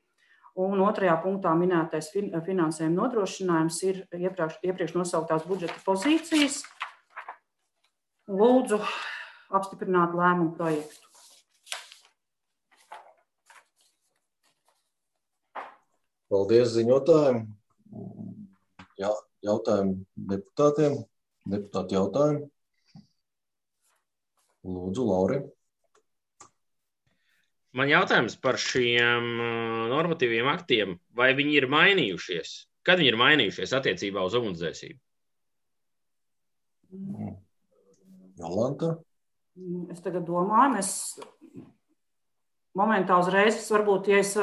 J: Un otrajā punktā minētais finansējuma nodrošinājums ir iepriekš, iepriekš nosauktās budžeta pozīcijas. Lūdzu apstiprināt lēmumu projektu.
A: Paldies ziņotājiem. Jā, jautājumi deputātiem. Deputāti jautājumi. Lūdzu, Lauri.
I: Man jautājums par šiem normatīviem aktiem, vai viņi ir mainījušies? Kad viņi ir mainījušies attiecībā uz ugunsdzēsību?
A: Jolanta?
J: Es tagad domāju, mēs momentā uzreiz, varbūt, ja es,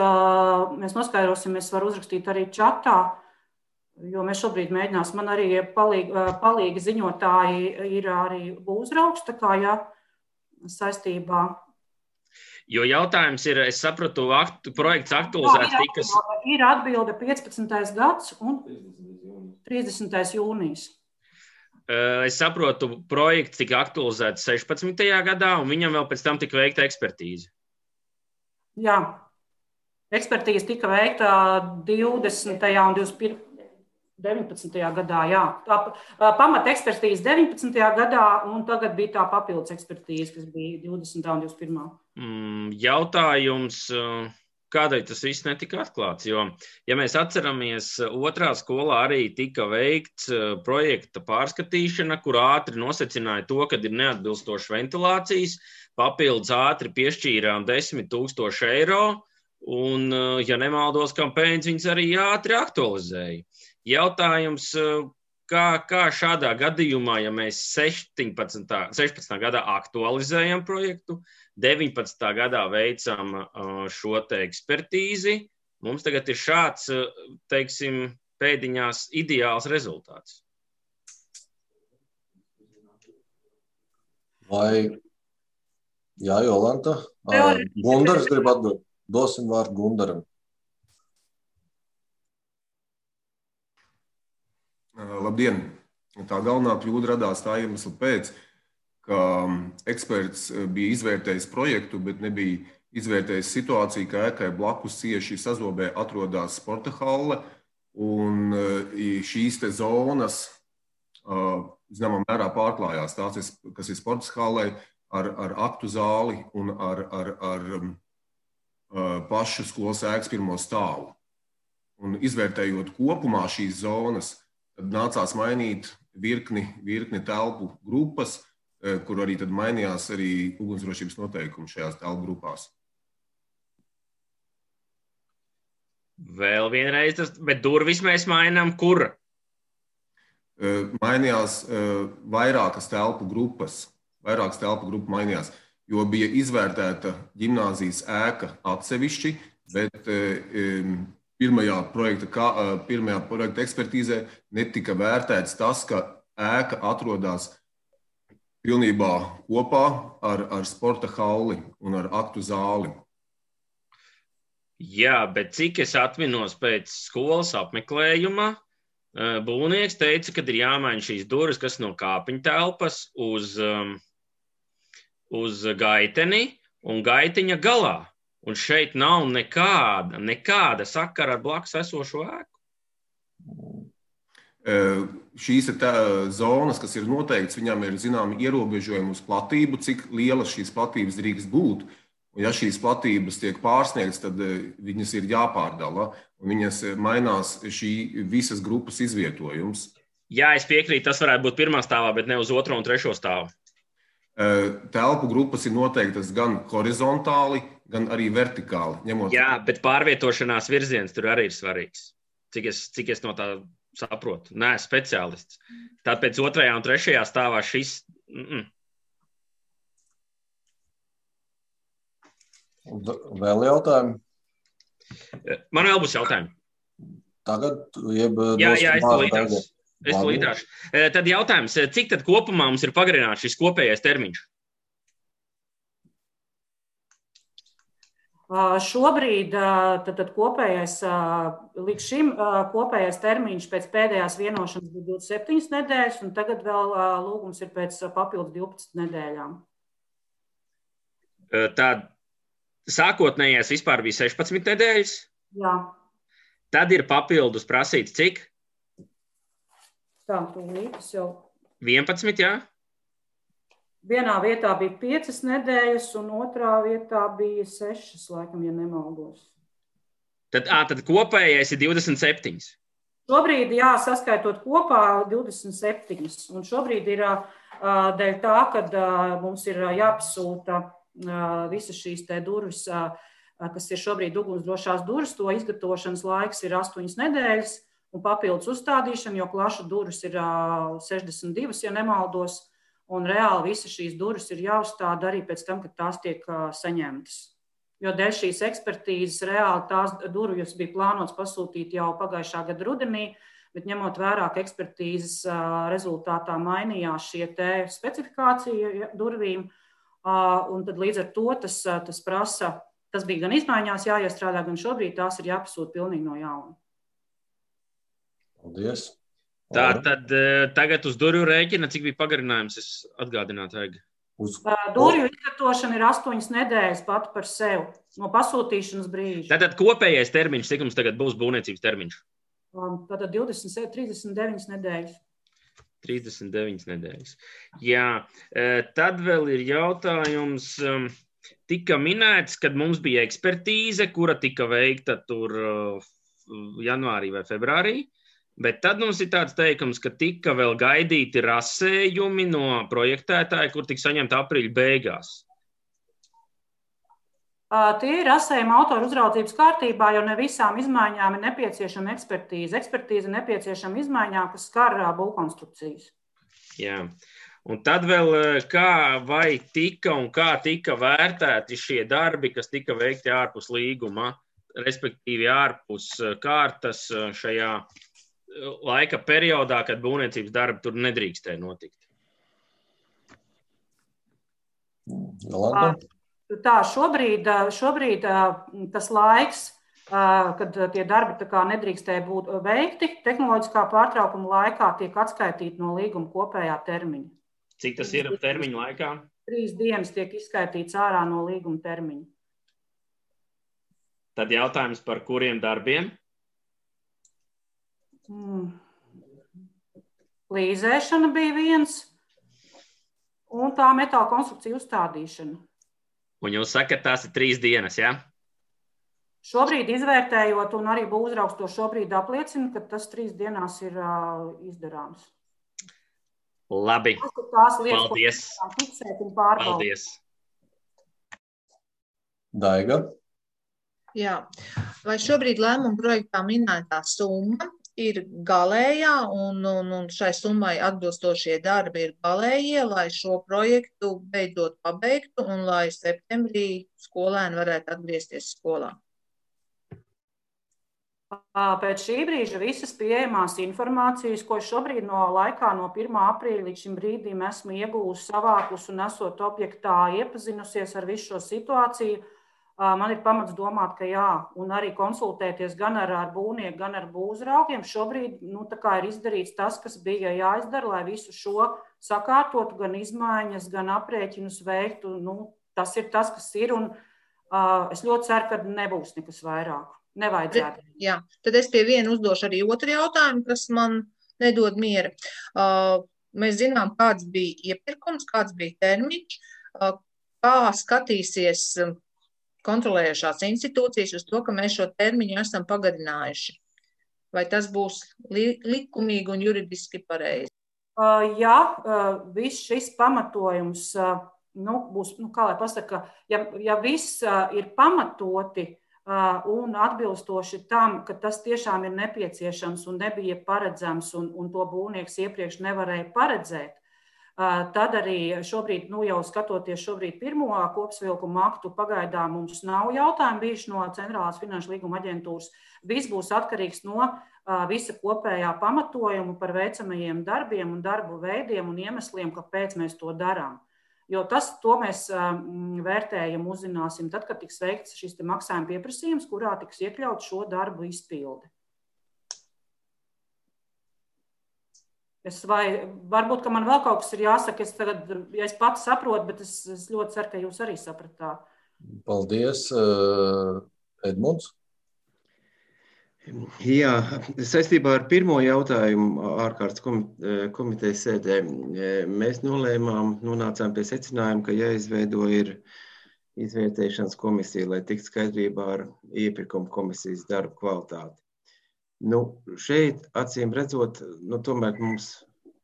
J: mēs noskaidrosim, es varu uzrakstīt arī čatā, jo mēs šobrīd mēģināsim, man arī palīgi, palīgi ziņotāji ir arī uzraugs, tā kā, ja, saistībā.
I: Jo jautājums ir, es sapratu, aktu, projekts aktualizēts tikas...
J: Ir atbilde piecpadsmitais gads un trīsdesmitais jūnijas.
I: Es saprotu, projekts tika aktualizēts sešpadsmitajā gadā, un viņam vēl pēc tam tika veikta ekspertīze.
J: Jā, ekspertīze tika veikta divdesmitajā un deviņpadsmitajā gadā, jā. Tā pamata ekspertīze deviņpadsmitajā gadā, un tagad bija tā papildus ekspertīze, kas bija divdesmitā un divdesmit pirmā.
I: Mm, jautājums, kādēļ tas viss netika atklāts? Jo, ja mēs atceramies, otrā skolā arī tika veikts projekta pārskatīšana, kur ātri nosacināja to, kad ir neatbilstošas ventilācijas, papildus ātri piešķīrām desmit tūkstoši eiro, un, ja nemaldos, kampaņas viņas arī ātri aktualizēja. Jautājums, kā, kā šādā gadījumā, ja mēs sešpadsmitā gadā aktualizējam projektu, deviņpadsmitā gadā veicam šo te ekspertīzi, mums tagad ir šāds, teiksim, pēdiņās ideāls rezultāts.
A: Vai, jā, Jolanta, Gundars grib atbild. Dosim vārdu Gundaram.
K: Labdien! Tā galvenā kļūda radās tā iemesla pēc, ka eksperts bija izvērtējis projektu, bet nebija izvērtējis situāciju, ka ēkai blakus cieši sazobē atrodas sporta halle, un šīs te zonas, zināmā mērā, pārklājās. Tās, kas ir sporta hallei, ar, ar aktu zāli un ar, ar, ar pašu skolas ēkas pirmo stāvu. Un izvērtējot kopumā šīs zonas, tad nācās mainīt virkni, virkni telpu grupas, kur arī tad mainījās arī ugunsdrošības noteikumi šajās telpu grupās.
I: Vēl vienreiz, tas, bet durvis mēs mainām kur?
K: Mainījās vairākas telpu grupas, vairākas telpu grupu mainījās, jo bija izvērtēta ģimnāzijas ēka atsevišķi, bet pirmajā projekta, pirmajā projekta ekspertīzē netika vērtēts tas, ka ēka atrodas pilnībā kopā ar, ar sporta halli un ar aktu zāli.
I: Jā, bet cik es atminos pēc skolas apmeklējuma, būvnieks teica, ka ir jāmaina šīs durvis, kas no kāpiņu telpas uz, uz gaiteni un gaitiņa galā. Un šeit nav nekāda, nekāda sakara ar blakus esošo ēku.
K: Šīs ir tā zonas, kas ir noteikts, viņām ir zināmi ierobežojumi uz platību, cik lielas šīs platības drīkst būt. Un ja šīs platības tiek pārsniegts, tad viņas ir jāpārdala, un viņas mainās šī visas grupas izvietojums.
I: Jā, es piekrītu, tas varētu būt pirmā stāvā, bet ne uz otro un trešo stāvu.
K: Telpu grupas ir noteiktas gan horizontāli, gan arī vertikāli. Ņemot...
I: Jā, bet pārvietošanās virziens tur arī ir svarīgs, cik es, cik es no tā saprotu. Nē, speciālists. Tāpēc otrajā un trešajā stāvā šis... Mm-mm.
A: Vēl jautājumi?
I: Man vēl būs jautājumi.
A: Tagad, jeb...
I: Jā, jā, es to līdāšu. Es to līdāšu. Tad jautājums, cik tad kopumā mums ir pagarināts šis kopējais termiņš?
J: Šobrīd tad, tad kopējais, līdz šim kopējais termiņš pēc pēdējās vienošanas bija divdesmit septiņas nedēļas, un tagad vēl lūgums ir pēc papildus divpadsmit nedēļām.
I: Tad sākotnējais vispār bija sešpadsmit nedēļas?
J: Jā.
I: Tad ir papildus prasīts cik?
J: Tā, tūlītas jau.
I: vienpadsmit, jā?
J: Vienā vietā bija piecas nedēļas, un otrā vietā bija sešas, laikam, ja nemaldos.
I: Tad, ā, tad kopējais ir divdesmit septiņas?
J: Šobrīd, jā, saskaitot kopā divdesmit septiņas. Un šobrīd ir dēļ tā, kad mums ir jāpasūta visas šīs te durvis, kas ir šobrīd ugunsdrošās durvis, to izgatavošanas laiks ir astoņas nedēļas, un papildus uzstādīšana, jo klašu durvis ir sešdesmit divas, ja nemaldos, un reāli visas šīs durvis ir jāuzstāda arī pēc tam, kad tās tiek saņemtas. jo dēļ šīs ekspertīzes reāli tās durvjas bija plānots pasūtīt jau pagājušā gada rudenī, bet ņemot vērā, ka ekspertīzes rezultātā mainījās šie te specifikācija durvīm, un tad līdz ar to tas, tas prasa, tas bija gan izmaiņās jāiestrādā, gan šobrīd tās ir jāpasūt pilnīgi no jauna.
A: Paldies.
I: Tā tad tagad uz durvju rēķina, cik bija pagarinājums, es atgādinātu vajag.
J: Uz... Durvju izvietošana ir astoņas nedēļas pat par sevi, no pasūtīšanas brīža.
I: Tātad kopējais termiņš, cik mums tagad būs būvniecības termiņš?
J: Tātad divdesmit, trīsdesmit deviņas nedēļas.
I: trīsdesmit deviņas nedēļas. Jā, tad vēl ir jautājums, tika minēts, kad mums bija ekspertīze, kura tika veikta tur janvārī vai februārī, bet tad mums ir tāds teikums, ka tika vēl gaidīti rasējumi no projektētāja, kur tika saņemta aprīļa beigās.
J: Tie ir rasējumi autoru uzraudzības kārtībā, jo ne visām izmaiņām ir nepieciešama ekspertīze. Ekspertīze nepieciešama izmaiņām, kas skar būvkonstrukcijas.
I: Jā. Un tad vēl kā vai tika un kā tika vērtēti šie darbi, kas tika veikti ārpus līguma, respektīvi ārpus kārtas šajā laika periodā, kad būvniecības darbi tur nedrīkstēja notikt.
A: Jolanta?
J: Tā, šobrīd, šobrīd tas laiks, kad tie darbi tā kā nedrīkstēja būt veikti, tehnoloģiskā pārtraukuma laikā tiek atskaitīti no līguma kopējā termiņa.
I: Cik tas ir termiņa laikā?
J: Trīs dienas tiek izskaitīts ārā no līguma termiņa.
I: Tad jautājums par kuriem darbiem?
J: Hmm. Līzēšana bija viens, un tā metāla konstrukcija uzstādīšana.
I: Un jūs sakat, tās ir trīs dienas, jā? Ja?
J: Šobrīd izvērtējot, un arī būvuzraugs to šobrīd apliecina, ka tas trīs dienās ir uh, izdarāms.
I: Labi.
J: Tās lietas,
I: paldies.
J: Ko fiksēt un pārbaudīt.
I: Paldies.
A: Daiga?
L: Jā. Vai šobrīd lēmuma projektā minētā summa ir galējā un, un, un šai summai atbilstošie darbi ir galējie, lai šo projektu beidzot pabeigtu un lai septembrī skolēni varētu atgriezties skolā?
J: Pēc šī brīža visas pieejamās informācijas, ko šobrīd no laikā no pirmā aprīļa līdz šim brīdim esmu iegūsi, savākus un esot objektā iepazinusies ar visu šo situāciju, man ir pamats domāt, ka jā, un arī konsultēties gan ar, ar būvnieku, gan ar būvuzraugiem. Šobrīd nu, tā kā ir izdarīts tas, kas bija jāizdara, lai visu šo sakārtotu, gan izmaiņas, gan aprēķinus veiktu. Nu, tas ir tas, kas ir, un uh, es ļoti ceru, ka nebūs nekas vairāk. Nevajadzētu.
L: Jā, tad es pie viena uzdošu arī otru jautājumu, kas man nedod miera. Uh, mēs zinām, kāds bija iepirkums, kāds bija termiņš, uh, kā skatīsies kontrolējušās institūcijas uz to, ka mēs šo termiņu esam pagarinājuši. Vai tas būs li likumīgi un juridiski pareizi?
J: Uh, jā, uh, viss šis pamatojums, uh, nu, būs, nu, kā lai pasaka, ja, ja viss uh, ir pamatoti uh, un atbilstoši tam, ka tas tiešām ir nepieciešams un nebija paredzams un, un to būvnieks iepriekš nevarēja paredzēt, tad arī šobrīd, nu jau skatoties šobrīd pirmo kopsavilkumu aktu, pagaidām mums nav jautājumu bijuši no Centrālās finanšu līguma aģentūras. Viss būs atkarīgs no visa kopējā pamatojuma par veicamajiem darbiem un darbu veidiem un iemesliem, kāpēc mēs to darām. Jo tas, to mēs vērtējam, uzzināsim tad, kad tiks veikts šis te maksājuma pieprasījums, kurā tiks iekļaut šo darbu izpildi. Es vai, varbūt, ka man vēl kaut kas ir jāsaka, es tagad, ja es pats saprotu, bet es, es ļoti ceru, ka jūs arī sapratāt.
A: Paldies, Edmunds.
D: Jā, saistībā ar pirmo jautājumu ārkārtas komitejas sēdē mēs nolēmām, nonācām pie secinājuma, ka jāizveido ir izvērtēšanas komisija, lai tiktu skaidrībā ar iepirkuma komisijas darbu kvalitāti. Nu, šeit, acīm redzot, nu, tomēr mums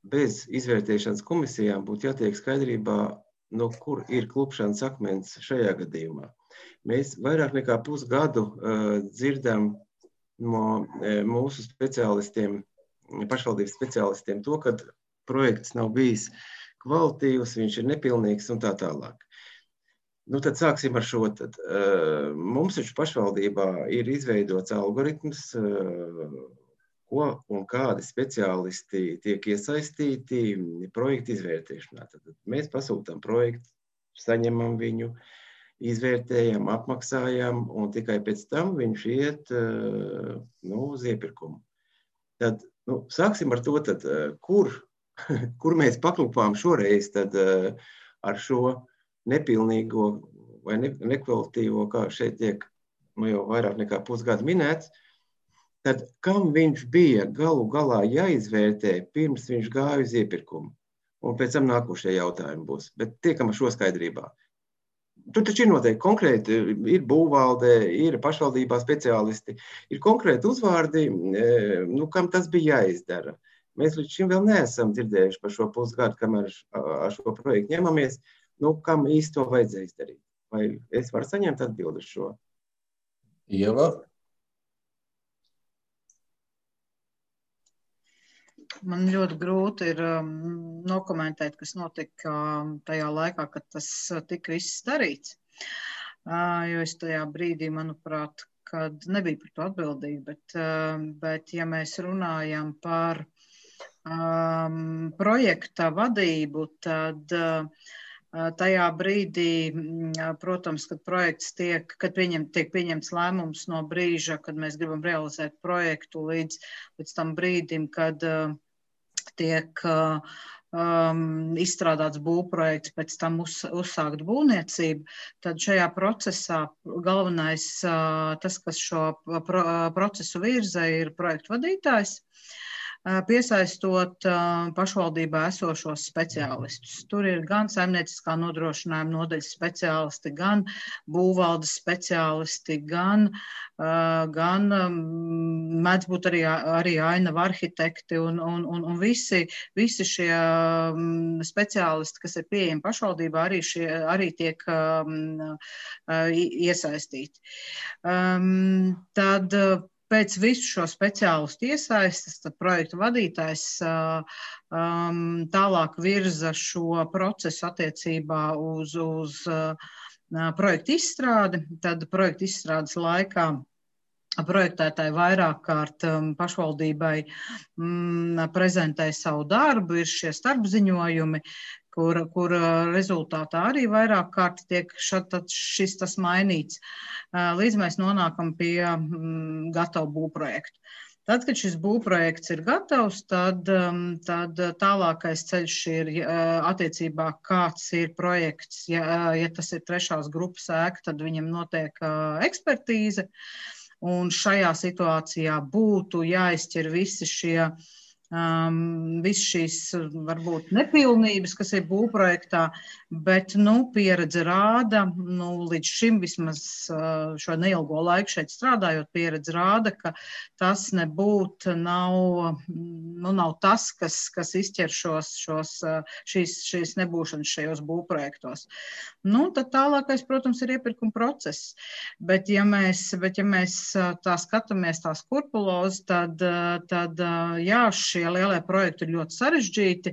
D: bez izvērtēšanas komisijām būtu jātiek skaidrībā, no kur ir klupšanas akmens šajā gadījumā. Mēs vairāk nekā pusgadu uh, dzirdam no uh, mūsu speciālistiem, pašvaldības speciālistiem to, ka projekts nav bijis kvalitīvs, viņš ir nepilnīgs un tā tālāk. nu tad sāksim ar šo. Tad, uh, mums taču pašvaldībā ir izveidots algoritms, uh, ko un kādi speciālisti tiek iesaistīti projektu izvērtēšanā. Tad mēs pasūtām projektu, saņemam viņu, izvērtējam, apmaksājam, un tikai pēc tam viņš iet uh, nu, uz iepirkumu. Tad nu, sāksim ar to, tad, uh, kur, kur mēs paklupām šoreiz tad, uh, ar šo nepilnīgo vai ne, nekvalitīvo, kā šeit tiek nu, jau vairāk nekā pusgadu minēts, tad kam viņš bija galu galā jāizvērtē, pirms viņš gāja uz iepirkumu. Un pēc tam nākošie jautājumi būs. Bet tiekam ar šo skaidrībā. Tur taču ir noteikti konkrēti, ir būvvalde, ir pašvaldībā speciālisti, ir konkrēti uzvārdi, nu, kam tas bija jāizdara. Mēs līdz šim vēl neesam dzirdējuši par šo pusgadu, kamēr ar šo projektu ņemamies, nu, kam īsti to vajadzēja izdarīt. Vai es varu saņemt atbildi uz šo?
A: Ieva?
L: Man ļoti grūti ir um, nokomentēt, kas notika um, tajā laikā, kad tas tika viss darīts. Uh, jo es tajā brīdī, manuprāt, kad nebija par to atbildīgi, bet, uh, bet ja mēs runājam par um, projekta vadību, tad uh, tajā brīdī, protams, kad projekts tiek, kad pieņem, tiek pieņemts lēmums no brīža, kad mēs gribam realizēt projektu līdz, līdz tam brīdim, kad uh, tiek uh, um, izstrādāts būvprojekts, pēc tam uz, uzsākt būvniecību, tad šajā procesā galvenais, uh, tas, kas šo pro, procesu virza, ir projektu vadītājs, piesaistot uh, pašvaldībā esošos speciālistus. Tur ir gan saimnieciskā nodrošinājuma nodaļas speciālisti, gan būvvaldes speciālisti, gan, uh, gan um, mēdz būt arī, arī ainava arhitekti un, un, un, un visi, visi šie um, speciālisti, kas ir pieejami pašvaldībā, arī, šie, arī tiek um, uh, iesaistīti. Um, tad uh, Pēc visu šo speciālistu iesaistes, tad projektu vadītājs um, tālāk virza šo procesu attiecībā uz, uz uh, projektu izstrādi. Tad projektu izstrādes laikā projektētāji vairāk kārt um, pašvaldībai um, prezentē savu darbu, ir šie starpziņojumi, kur, kur rezultātā arī vairāk kārt tiek šat, šis tas mainīts, līdz mēs nonākam pie mm, gatavu būvprojektu. Tad, kad šis būvprojekts ir gatavs, tad, tad tālākais ceļš ir attiecībā, kāds ir projekts. Ja, ja tas ir trešās grupas ēka, tad viņam notiek ekspertīze, un šajā situācijā būtu jāizķer visi šie Um, viss šīs varbūt nepilnības, kas ir būvprojektā, bet nu, pieredze rāda, nu, līdz šim vismaz uh, šo neilgo laiku šeit strādājot, pieredze rāda, ka tas nebūtu nav, nu, nav tas, kas, kas izķer šos, šos, šīs, šīs nebūšanas šajos būvprojektos. Nu, tad tālākais, protams, ir iepirkuma process, bet ja mēs, bet, ja mēs tā skatāmies tās kurpulozes, tad, tad jā, šī šie lielie projekti ir ļoti sarežģīti,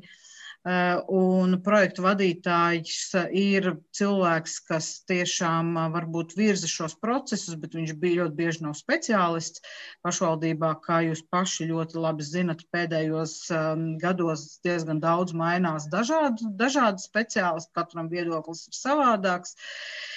L: un projektu vadītājs ir cilvēks, kas tiešām varbūt virza šos procesus, bet viņš bija ļoti bieži nav speciālists pašvaldībā, kā jūs paši ļoti labi zinat, pēdējos gados diezgan daudz mainās dažādi, dažādi speciālisti, katram viedoklis ir savādāks.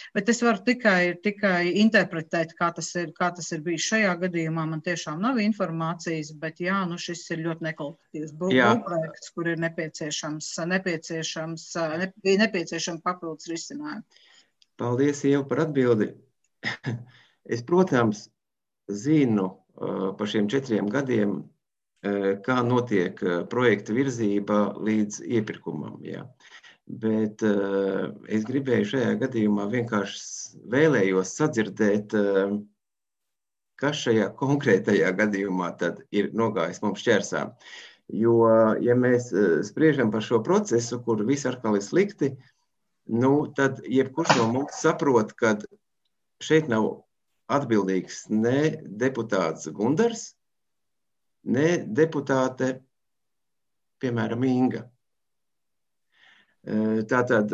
L: Bet es varu tikai, tikai interpretēt, kā tas, ir, kā tas ir bijis šajā gadījumā. Man tiešām nav informācijas, bet jā, nu šis ir ļoti nekvalitatīvs būvprojekts, kur ir nepieciešams, nepieciešams, ne, nepieciešams papildus risinājumi.
D: Paldies, Ieva, par atbildi. Es, protams, zinu par šiem četriem gadiem, kā notiek projekta virzība līdz iepirkumam. Jā. Bet uh, es gribēju šajā gadījumā vienkārši vēlējos sadzirdēt, uh, kas šajā konkrētajā gadījumā tad ir nogājis mums šķērsā. Jo, ja mēs uh, spriežam par šo procesu, kur viss atkal ir slikti, nu, tad jebkurš no mums saprot, ka šeit nav atbildīgs ne deputāts Gundars, ne deputāte, piemēram, Inga. Tātad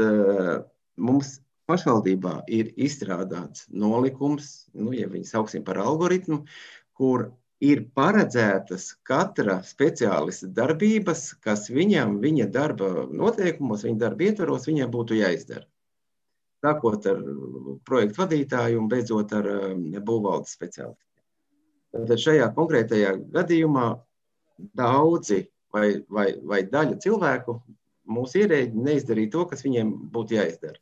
D: mums pašvaldībā ir izstrādāts nolikums, nu, ja viņi sauksim par algoritmu, kur ir paredzētas katra speciālista darbības, kas viņam, viņa darba noteikumos, viņa darba ietvaros, viņam būtu jāizdara. Sākot ar projektu vadītāju un beidzot ar būvvaldes speciālistiem. Tad šajā konkrētajā gadījumā daudzi vai, vai, vai daļa cilvēku mūsu ierēģi neizdarīja to, kas viņiem būtu jāizdara.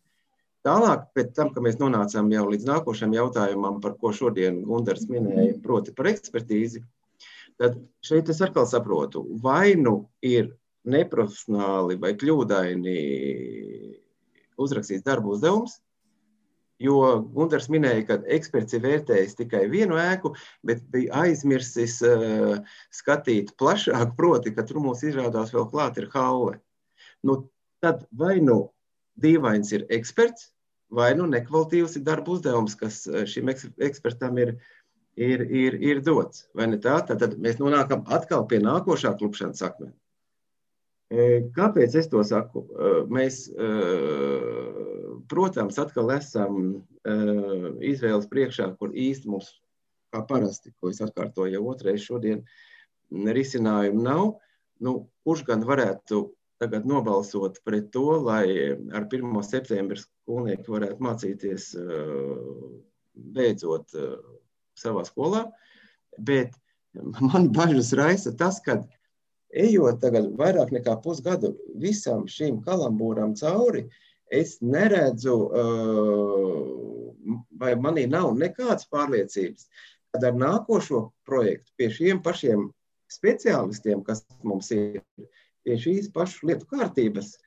D: Tālāk, pēc tam, ka mēs nonācām jau līdz nākošajam jautājumam, par ko šodien Gundars minēja, proti par ekspertīzi, tad šeit es atkal saprotu, vai nu ir neprofesionāli vai kļūdaini uzrakstīts darba uzdevums, jo Gundars minēja, ka eksperts ir vērtējis tikai vienu ēku, bet bija aizmirsis uh, skatīt plašāk, proti, ka tur mums izrādās vēl klāt ir halle. Nu, tad vai nu dīvains ir eksperts, vai nu nekvalitīvs ir darba uzdevums, kas šim ekspertam ir, ir, ir, ir dots. Vai ne tā? Tad, tad mēs nonākam atkal pie nākošā klupšanas akmena. Kāpēc es to saku? Mēs, protams, atkal esam izvēles priekšā, kur īsti mums, kā parasti, ko es atkārtoju jau otrais šodien, risinājumu nav. Nu, kurš gan varētu tagad nobalsot pret to, lai ar pirmo septembra skolnieki varētu mācīties beidzot savā skolā, bet man bažas raisa tas, ka ejot tagad vairāk nekā pusgadu visam šīm kalambūram cauri, es neredzu, vai manī nav nekādas pārliecības, kad ar nākošo projektu pie šiem pašiem speciālistiem, kas mums ir, pie šīs pašu lietu kārtības,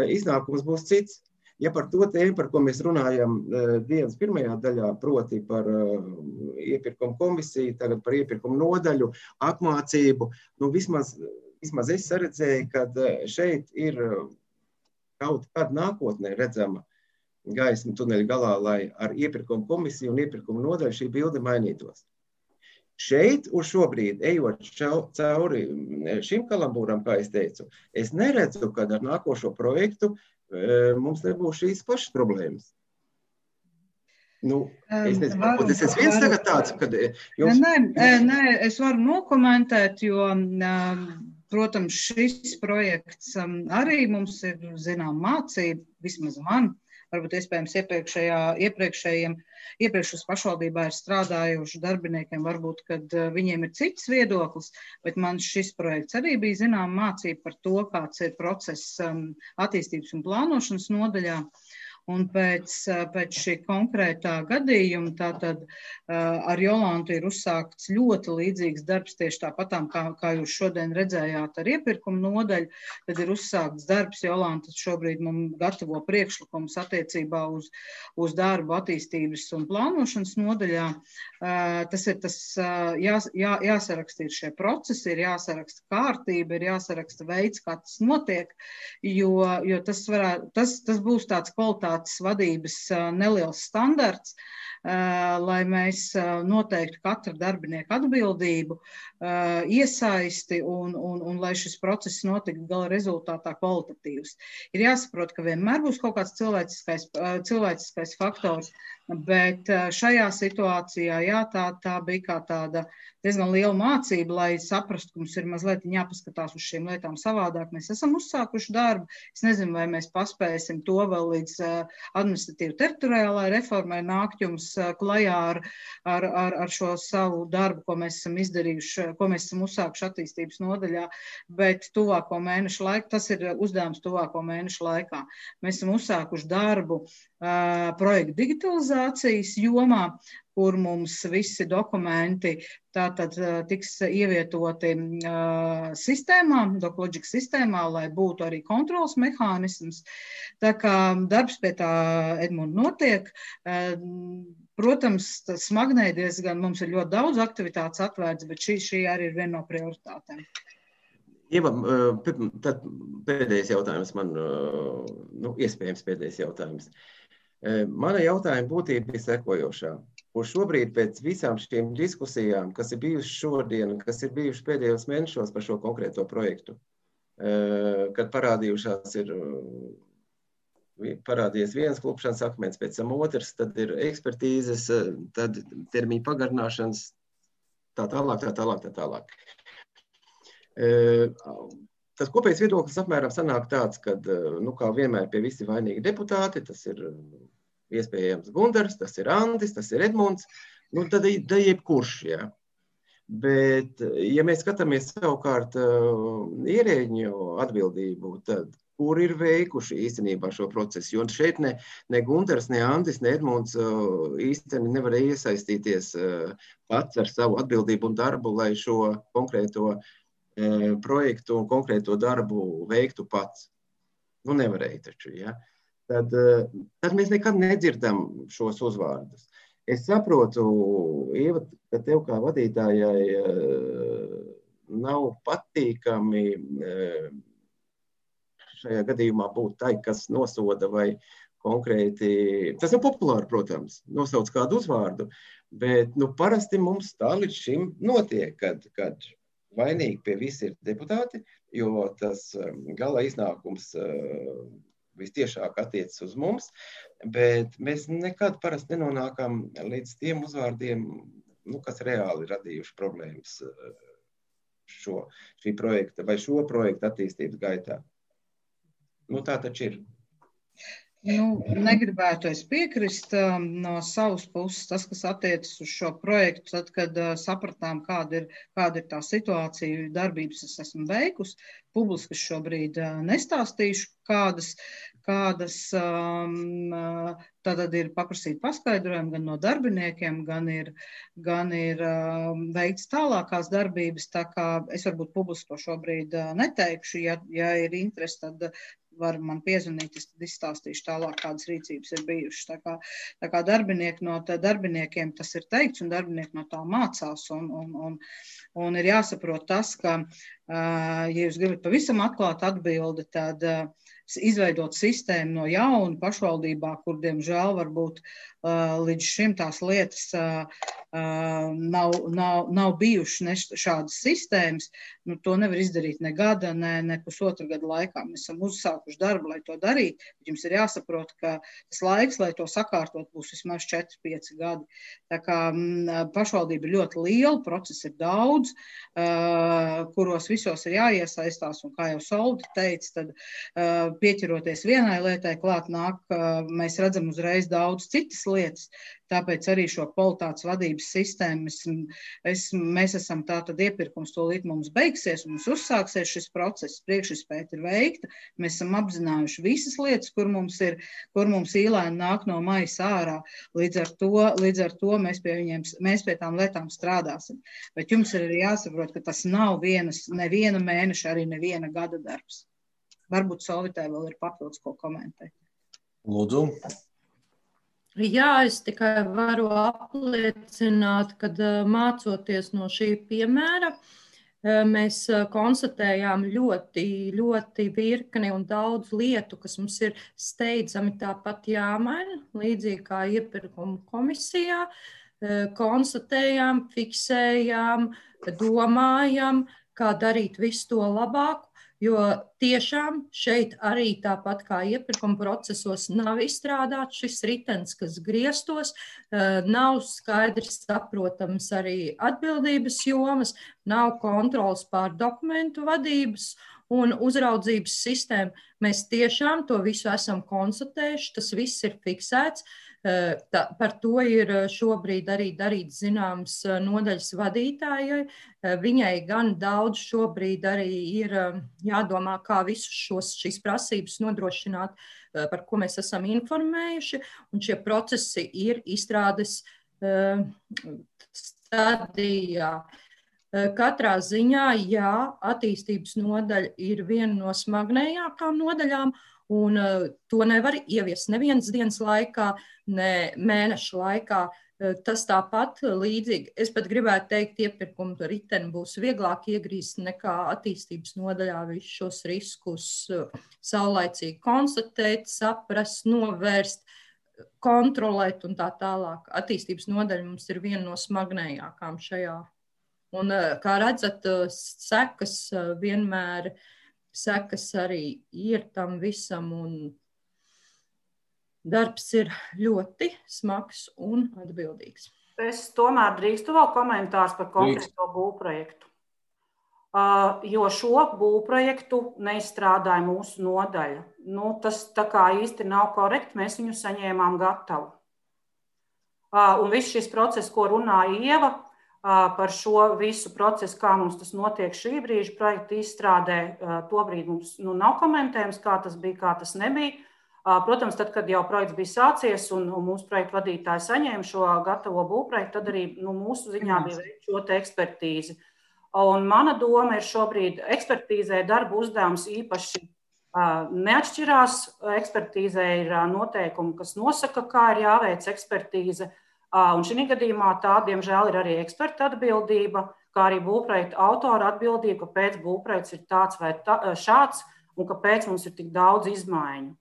D: iznākums būs cits. Ja par to tēmu, par ko mēs runājam dienas pirmajā daļā, proti par iepirkumu komisiju, tagad par iepirkumu nodaļu, apmācību, nu vismaz, vismaz es saredzēju, ka šeit ir kaut kad nākotnē redzama gaisma tuneļa galā, lai ar iepirkumu komisiju un iepirkumu nodaļu šī bilde mainītos. Šeit uz šobrīd, ejot cauri šim kalambūram, kā es teicu, es neredzu, kad ar nākošo projektu mums nebūs šīs pašas problēmas. Nu, es nezinu, varbūt es esmu viens tagad tāds, kad jums...
L: Nē, nē, es varu nokomentēt, jo, protams, šis projekts arī mums ir, zinām, mācība, vismaz man, varbūt iespējams iepriekšējā, iepriekšējiem, iepriekšus pašvaldībā ir strādājuši darbiniekiem, varbūt, kad viņiem ir cits viedoklis, bet man šis projekts arī bija zinām mācība par to, kāds ir process attīstības un plānošanas nodaļā. Un pēc, pēc šī konkrētā gadījuma, tātad ar Jolantu ir uzsākts ļoti līdzīgs darbs, tieši tāpatām, kā, kā jūs šodien redzējāt ar iepirkumu nodaļu, tad ir uzsākts darbs, Jolanta šobrīd mums gatavo priekšlikumus attiecībā uz, uz darbu attīstības un plānošanas nodaļā. Tas ir tas, jā, jā, jāsaraksta ir šie procesi, ir jāsaraksta kārtība, ir jāsaraksta veids, kā tas notiek, jo, jo tas, varētu, tas, tas būs tāds kvalitātes vadības neliels standarts, lai mēs noteiktu katra darbinieka atbildību, iesaisti un, un, un lai šis process notiktu gala rezultātā kvalitatīvs. Ir jāsaprot, ka vienmēr būs kaut kāds cilvēciskais, cilvēciskais faktors, bet šajā situācijā, jā, tā, tā bija kā tāda diezgan liela mācība, lai saprastu, ka mums ir mazliet jāpaskatās uz šīm lietām savādāk. Mēs esam uzsākuši darbu. Es nezinu, vai mēs paspēsim to vēl līdz administratīvu teritoriālai reformai nākt jums klajā ar, ar, ar, ar šo savu darbu, ko mēs esam izdarījuši, ko mēs esam uzsākuši attīstības nodaļā, bet tuvāko mēnešu laikā, tas ir uzdevums tuvāko mēnešu laikā. Mēs esam uzsākuši darbu uh, projektu digitalizācijas jomā, kur mums visi dokumenti tātad tiks ievietoti uh, sistēmā, DocLogic sistēmā, lai būtu arī kontrols mehānisms. Tā kā darbs pie tā, Edmund, notiek. Uh, protams, smagnēji diezgan, mums ir ļoti daudz aktivitātes atvērts, bet šī, šī arī ir viena no prioritātēm.
D: Ieva, tad pēdējais jautājums man, nu, iespējams pēdējais jautājums. Mana jautājuma būtība ir sekojošā. Kur šobrīd pēc visām šīm diskusijām, kas ir bijušas šodien, kas ir bijušas pēdējos mēnešos par šo konkrēto projektu, kad parādījušās ir parādījies viens klupšanas akmens, pēc tam otrs, tad ir ekspertīzes, tad termiņu pagarināšanas, tā tālāk, tā tālāk, tā tālāk. Tas kopējs viedoklis apmēram sanāk tāds, ka, nu, kā vienmēr pie visi vainīgi deputāti, tas ir iespējams Gundars, tas ir Andis, tas ir Edmunds, nu, tad ir jebkurš, jā. Bet, ja mēs skatāmies savukārt ierēģņu atbildību, tad kur ir veikuši īstenībā šo procesu, jo šeit ne, ne Gundars, ne Andis, ne Edmunds īstenībā nevarēja iesaistīties pats ar savu atbildību un darbu, lai šo konkrēto projektu un konkrēto darbu veiktu pats. Nu, nevarēja taču, ja? Tad, tad mēs nekad nedzirdam šos uzvārdus. Es saprotu, Ieva, ka tev kā vadītājai nav patīkami šajā gadījumā būt tai, kas nosoda vai konkrēti, tas ir populāri, protams, nosauc kādu uzvārdu, bet nu, parasti mums tā līdz šim notiek, kad, kad vainīgi pie visi ir deputāti, jo tas gala iznākums vistiešāk attiecas uz mums, bet mēs nekad parasti nenonākam līdz tiem uzvārdiem, nu, kas reāli radījuši problēmas šo, šī projekta vai šo projektu attīstības gaitā. Nu, tā taču ir.
L: Nu, negribētu es piekrist um, no savas puses, tas, kas attiecas uz šo projektu, tad, kad uh, sapratām, kāda ir, kāda ir tā situācija, darbības es esmu veikusi, publiski šobrīd uh, nestāstīšu, kādas, kādas um, uh, tātad ir paprasīt paskaidrojumi gan no darbiniekiem, gan ir, gan ir um, veikts tālākās darbības, tā kā es varbūt publiski to šobrīd uh, neteikšu, ja, ja ir interesi, tad uh, var man piezvanīt, es tad izstāstīšu tālāk, kādas rīcības ir bijušas. Tā kā, tā kā darbinieki no tā darbiniekiem tas ir teikts, un darbinieki no tā mācās, un, un, un, un ir jāsaprot tas, ka, ja jūs gribat pavisam atklāt atbildi, tad izveidot sistēmu no jauna pašvaldībā, kur, diemžēl, varbūt līdz šim tās lietas nav, nav, nav bijušas šādas sistēmas, nu, to nevar izdarīt ne gada, ne, ne pusotra gada laikā. Mēs esam uzsākuši darbu, lai to darītu, bet jums ir jāsaprot, ka tas laiks, lai to sakārtot, būs vismaz četri pieci gadi. Tā kā m, pašvaldība ir ļoti liela, process ir daudz, uh, kuros visos ir jāiesaistās, un kā jau Soldi teica, tad uh, pieķeroties vienai lietai klāt nāk, uh, mēs redzam uzreiz daudz citas lietas, tāpēc arī šo kvalitātes vadības sistēmu es, es, mēs esam tātad iepirkums tūlīt mums beigsies, un mums uzsāksies šis process, priekšizpēta ir veikta, mēs esam apzinājuši visas lietas, kur mums ir, kur mums īlēni nāk no maisa ārā, līdz ar to, līdz ar to mēs pie viņiem, mēs pie tām lietām strādāsim. Bet jums ir arī jāsaprot, ka tas nav vienas, neviena mēneša, arī neviena gada darbs. Varbūt Solvitē vēl ir papildus ko komentēt.
A: Lūdzu.
C: Jā, es tikai varu apliecināt, ka mācoties no šī piemēra, mēs konstatējām ļoti, ļoti virkni un daudz lietu, kas mums ir steidzami tāpat jāmaina, līdzīgi kā iepirkuma komisijā. Konstatējām, fiksējām, domājam, kā darīt visu to labāku. Jo tiešām šeit arī tāpat kā iepirkuma procesos nav izstrādāts šis ritens, kas griestos, nav skaidrs saprotams arī atbildības jomas, nav kontrols pār dokumentu vadības un uzraudzības sistēmu. Mēs tiešām to visu esam konstatējuši, tas viss ir fiksēts. Tā, par to ir šobrīd arī darīts zināms nodaļas vadītājai. Viņai gan daudz šobrīd arī ir jādomā, kā visus šos, šīs prasības nodrošināt, par ko mēs esam informējuši, un šie procesi ir izstrādes stadijā. Katrā ziņā, jā, attīstības nodaļa ir viena no smagnējākām nodaļām, un to nevar ieviest nevienas dienas laikā, ne mēneša laikā. Tas tāpat līdzīgi, es pat gribētu teikt, iepirkumu riteni būs vieglāk iegrīst nekā attīstības nodaļā visus šos riskus saulaicīgi konstatēt, saprast, novērst, kontrolēt un tā tālāk. Attīstības nodaļa mums ir viena no smagnējākām šajā. Un, kā redzat, sekas vienmēr, sekas arī ir tam visam, un darbs ir ļoti smags un atbildīgs.
J: Es tomēr drīkstu vēl komentārs par konkrēto būvprojektu. Uh, jo šo būvprojektu neizstrādāja mūsu nodaļa. Nu, tas tā kā īsti nav korekti, mēs viņu saņēmām gatavu. Uh, un viss šis process, ko runāja Ieva, uh, par šo visu procesu, kā mums tas notiek šī brīža projekta izstrādē, uh, tobrīd mums nu, nav komentējums, kā tas bija, kā tas nebija. Protams, tad, kad jau projekts bija sācies un, un mūsu projektu vadītāji saņēma šo gatavo būvprojektu, tad arī nu, mūsu ziņā bija veikt šo te ekspertīzi. Un mana doma ir šobrīd ekspertīzē darba uzdevums īpaši uh, neatšķirās. Ekspertīzē ir uh, noteikumi, kas nosaka, kā ir jāveic ekspertīze. Uh, un šī gadījumā tā, diemžēl, ir arī eksperta atbildība, kā arī būvprojekta autora atbildība, kāpēc būvprojekts ir tāds vai tā, šāds un kāpēc mums ir tik daudz izmaiņu.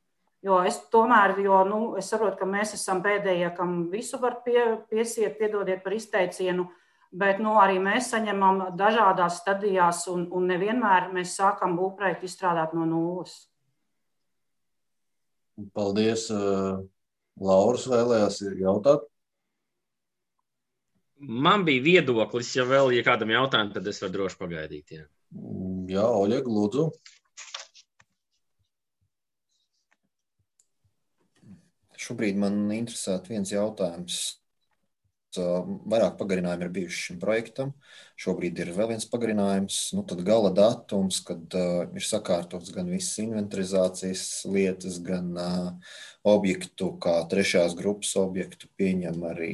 J: Jo es tomēr, jo, nu, es saprotu, ka mēs esam pēdējie, kam visu var pie, piesiet, piedodiet par izteicienu, bet nu, arī mēs saņemam dažādās stadijās un, un nevienmēr mēs sākam būvprojektu izstrādāt no nulles.
A: Paldies. Lauras vēlējās jautāt?
I: Man bija viedoklis, ja vēl ja kādam jautājumam, tad es varu droši pagaidīt. Jā,
A: jā Oļeg, lūdzu.
M: Šobrīd man interesētu viens jautājums. Vairāk pagarinājumi ir bijuši šim projektam. Šobrīd ir vēl viens pagarinājums. Nu, tad gala datums, kad uh, ir sakārtots gan visas inventarizācijas lietas, gan uh, objektu, kā trešās grupas objektu pieņem arī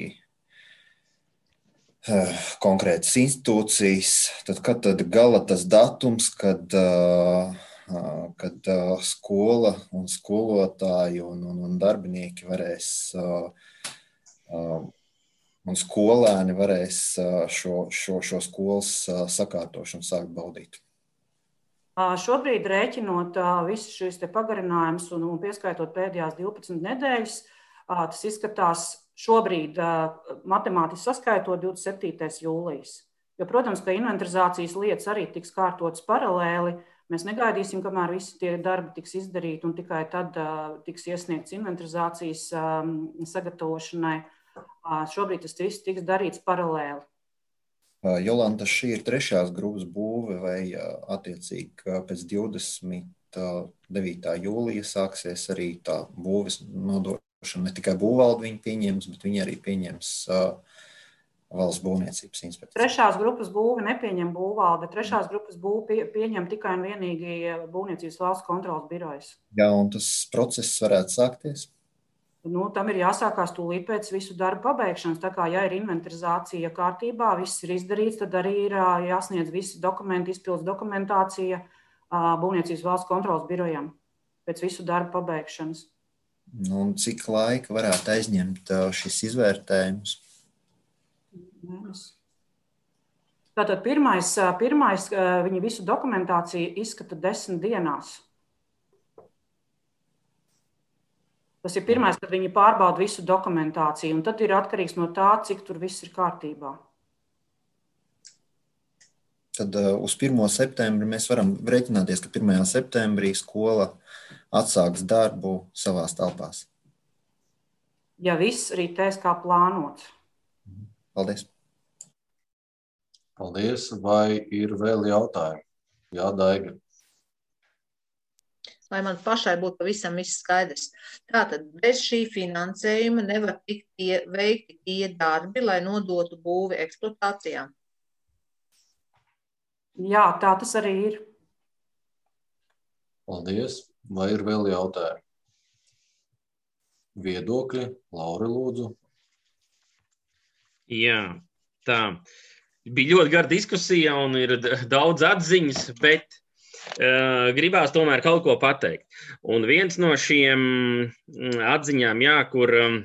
M: uh, konkrētas institūcijas. Tad, kad tad gala tas datums, kad... Uh, kad uh, skola un skolotāji un, un, un darbinieki varēs uh, uh, un skolēni varēs uh, šo, šo, šo skolas uh, sakārtošanu sākt baudīt.
J: Šobrīd rēķinot uh, visus šīs te pagarinājumus un, un pieskaitot pēdējās divpadsmit nedēļas, uh, tas izskatās šobrīd uh, matemātiski saskaitot divdesmit septītais jūlijas. Jo, protams, ka inventarizācijas lietas arī tiks kārtotas paralēli. Mēs negaidīsim, kamēr visi tie darbi tiks izdarīti un tikai tad uh, tiks iesniegts inventarizācijas um, sagatavošanai. Uh, šobrīd tas viss tiks darīts paralēli.
M: Uh, Jolanta, šī ir trešās grupas būve vai uh, attiecīgi uh, pēc divdesmit devītā jūlija sāksies arī tā būves nodošana. Ne tikai būvvalde viņi pieņems, bet viņi arī pieņems uh, Valsts būvniecības inspekcija.
J: Trešās grupas būvi nepieņem būvvalde, trešās grupas būvi pie, pieņem tikai un vienīgi būvniecības valsts kontrolas birojas.
M: Jā, un tas process varētu sākties?
J: Nu, tam ir jāsākās tūlīt pēc visu darbu pabeigšanas. Tā kā, ja ir inventarizācija kārtībā, viss ir izdarīts, tad arī ir jāsniedz visi dokumenti, izpildes dokumentācija būvniecības valsts kontrolas birojām pēc visu darbu pabeigšanas.
M: Nu, un cik laika varētu aizņemt šis izvērtējums?
J: Tātad pirmais, pirmais viņi visu dokumentāciju izskata desmit dienās. Tas ir pirmais, kad viņi pārbauda visu dokumentāciju, un tad ir atkarīgs no tā, cik tur viss ir kārtībā.
M: Tad uh, uz pirmo septembri mēs varam rēķināties, ka pirmajā septembrī skola atsāks darbu savās telpās.
J: Ja viss ritēs kā plānots.
M: Paldies.
A: Paldies. Vai ir vēl jautājumi? Jā, Daiga.
L: Lai man pašai būtu pavisam viss skaidrs. Tātad bez šī finansējuma nevar tikt tie, veikti tie darbi, lai nodotu būvi eksploatācijā.
J: Jā, tā tas arī ir.
A: Paldies. Vai ir vēl jautājumi? Viedokļi? Laura, lūdzu.
I: Jā, tā. Bija ļoti gara diskusija un ir daudz atziņas, bet uh, gribās tomēr kaut ko pateikt. Un viens no šiem atziņām, jā, kur um,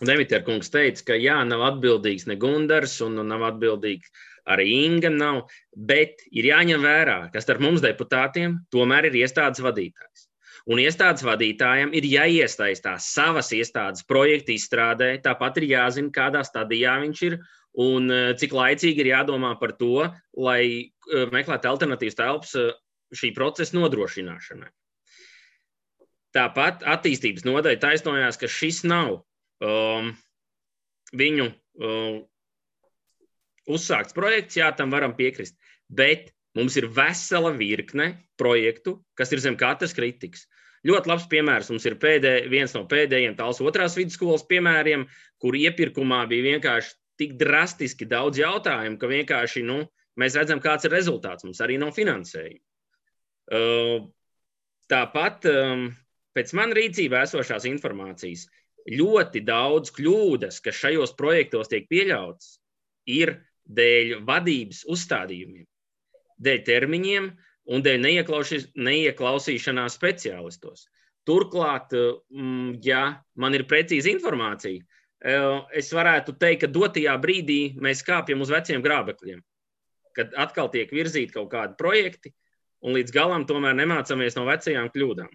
I: Demiter kungs teica, ka jā, nav atbildīgs ne Gundars un nav atbildīgs arī Inga nav, bet ir jāņem vērā, ka starp mums deputātiem tomēr ir iestādes vadītājs. Un iestādes vadītājiem ir jāiesaistās savas iestādes projekta izstrādē, tāpat ir jāzina, kādā stadijā viņš ir un cik laicīgi ir jādomā par to, lai meklētu alternatīvas telpas šī procesa nodrošināšanai. Tāpat attīstības nodaļa taisnojās, ka šis nav um, viņu um, uzsākts projekts, jā, tam varam piekrist, bet mums ir vesela virkne projektu, kas ir zem katras kritikas. Ļoti labs piemērs mums ir pēdē, viens no pēdējiem Tallas otrās vidusskolas piemēriem, kur iepirkumā bija vienkārši tik drastiski daudz jautājumu, ka vienkārši, nu, mēs redzam, kāds ir rezultāts. Mums arī nav finansējuma. Uh, tāpat, um, pēc man rīcībā esošās informācijas, ļoti daudz kļūdas, kas šajos projektos tiek pieļautas, ir dēļ vadības uzstādījumiem, dēļ termiņiem un dēļ neieklausīšanās speciālistos. Turklāt, ja man ir precīza informācija, es varētu teikt, ka dotajā brīdī mēs kāpjam uz veciem grābekļiem, kad atkal tiek virzīti kaut kādi projekti un līdz galam tomēr nemācamies no vecajām kļūdām.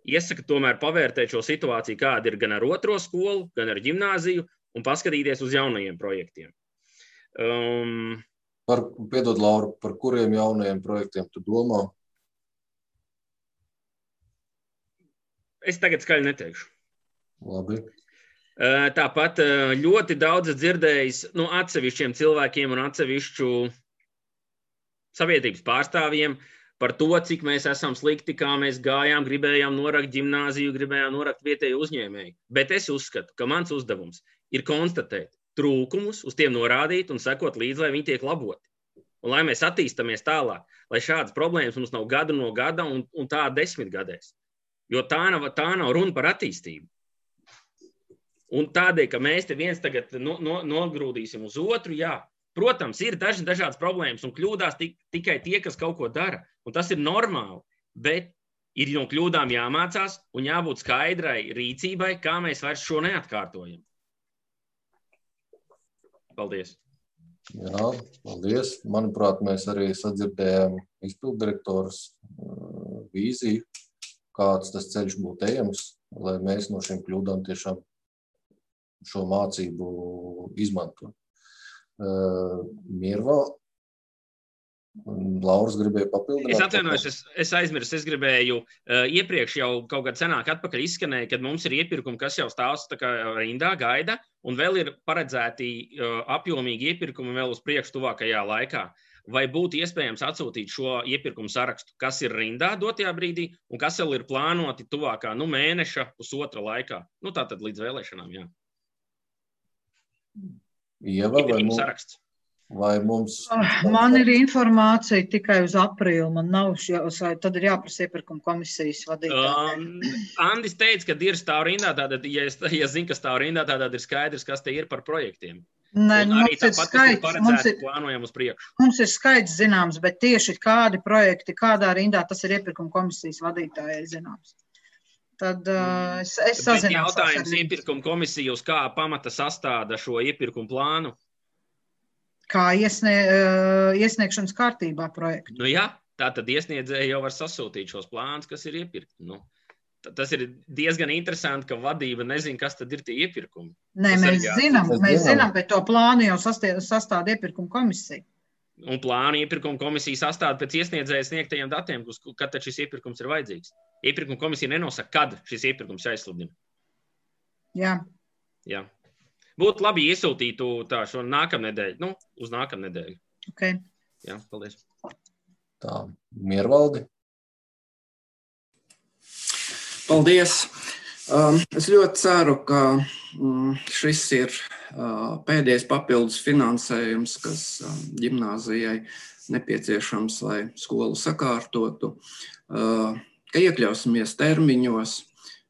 I: Iesaka tomēr pavērtēt šo situāciju, kāda ir gan ar otro skolu, gan ar ģimnāziju un paskatīties uz jaunajiem projektiem. Um,
A: Par, piedod, Laura, par kuriem jaunajiem projektiem tu domā?
I: Es tagad skaļi neteikšu.
A: Labi.
I: Tāpat ļoti daudz dzirdējis no atsevišķiem cilvēkiem un atsevišķu sabiedrības pārstāvjiem par to, cik mēs esam slikti, kā mēs gājām, gribējām norakt ģimnāziju, gribējām norakt vietēju uzņēmēju. Bet es uzskatu, ka mans uzdevums ir konstatēt trūkumus, uz tiem norādīt un sekot līdzi, lai viņi tiek laboti. Un lai mēs attīstamies tālāk, lai šādas problēmas mums nav gadu no gada un, un tā desmit gadēs. Jo tā nav, tā nav runa par attīstību. Un tādēļ, ka mēs te viens tagad no, no, nogrūdīsim uz otru, jā, protams, ir daži dažādas problēmas un kļūdās tik, tikai tie, kas kaut ko dara. Un tas ir normāli, bet ir no kļūdām jāmācās un jābūt skaidrai rīcībai, kā mēs vairs šo neatkārtojam. Paldies.
A: Jā, paldies. Manuprāt, mēs arī sadzirdējām izpilddirektoras vīziju, kāds tas ceļš būtu ejams, lai mēs no šiem kļūdām tiešām šo mācību izmantot. Mirva, Lauras gribēja papildināt.
I: Es atvainojos, es, es aizmirsu, es gribēju, uh, iepriekš jau kaut kad senāk atpakaļ izskanēja, kad mums ir iepirkumi, kas jau stāvs tā kā rindā gaida, un vēl ir paredzēti uh, apjomīgi iepirkumi vēl uz priekšu tuvākajā laikā. Vai būtu iespējams atsūtīt šo iepirkumu sarakstu, kas ir rindā dotajā brīdī, un kas vēl ir plānoti tuvākā, nu, mēneša, pusotra laikā? Nu, tātad līdz vēlēšanām, jā.
A: Ieva, vai mums, saraksts. Vai mums...
L: Man ir informācija tikai uz aprīli, man nav, tad ir jāprasa iepirkuma komisijas vadītājai.
I: Um, Andis teica, ka ir stāv rindā, tātad, ja es, ja zinu, ka stāv rindā, tātad ir skaidrs, kas te ir par projektiem.
L: Nē, mums ir
I: tāpat,
L: skaidrs, mums ir,
I: plānojam uz priekšu.
L: Mums ir skaidrs zināms, bet tieši kādi projekti, kādā rindā, tas ir iepirkuma komisijas vadītājai zināms. Tad uh, es, es sazināšu.
I: Jautājums iepirkuma komisija uz kā pamata sastāda šo iepirkumu plānu?
L: Kā iesnie, uh, iesniegšanas kārtībā projektu.
I: Nu jā, tā tad iesniedzēji jau var sasūtīt šos plānus, kas ir iepirkti. Nu, tas ir diezgan interesanti, ka vadība nezin, kas tad ir tie iepirkumi.
L: Nē, tas mēs zinām, mēs zinām, bet to plānu jau sastāda iepirkuma komisija.
I: Un plānu iepirkuma komisija sastāda pēc iesniedzēja sniegtajiem datiem, kad tad šis iepirkums ir vajadzīgs. Iepirkuma komisija nenosaka, kad šis iepirkums jāizsludina.
L: Jā.
I: Jā. Būtu labi iesūtītu tā šo nākamnedēļu, nu, uz nākamnedēļu.
L: Ok.
I: Jā, paldies.
A: Tā, Miervaldi.
H: Paldies. Es ļoti ceru, ka šis ir pēdējais papildus finansējums, kas ģimnāzijai nepieciešams, lai skolu sakārtotu, ka iekļausimies termiņos.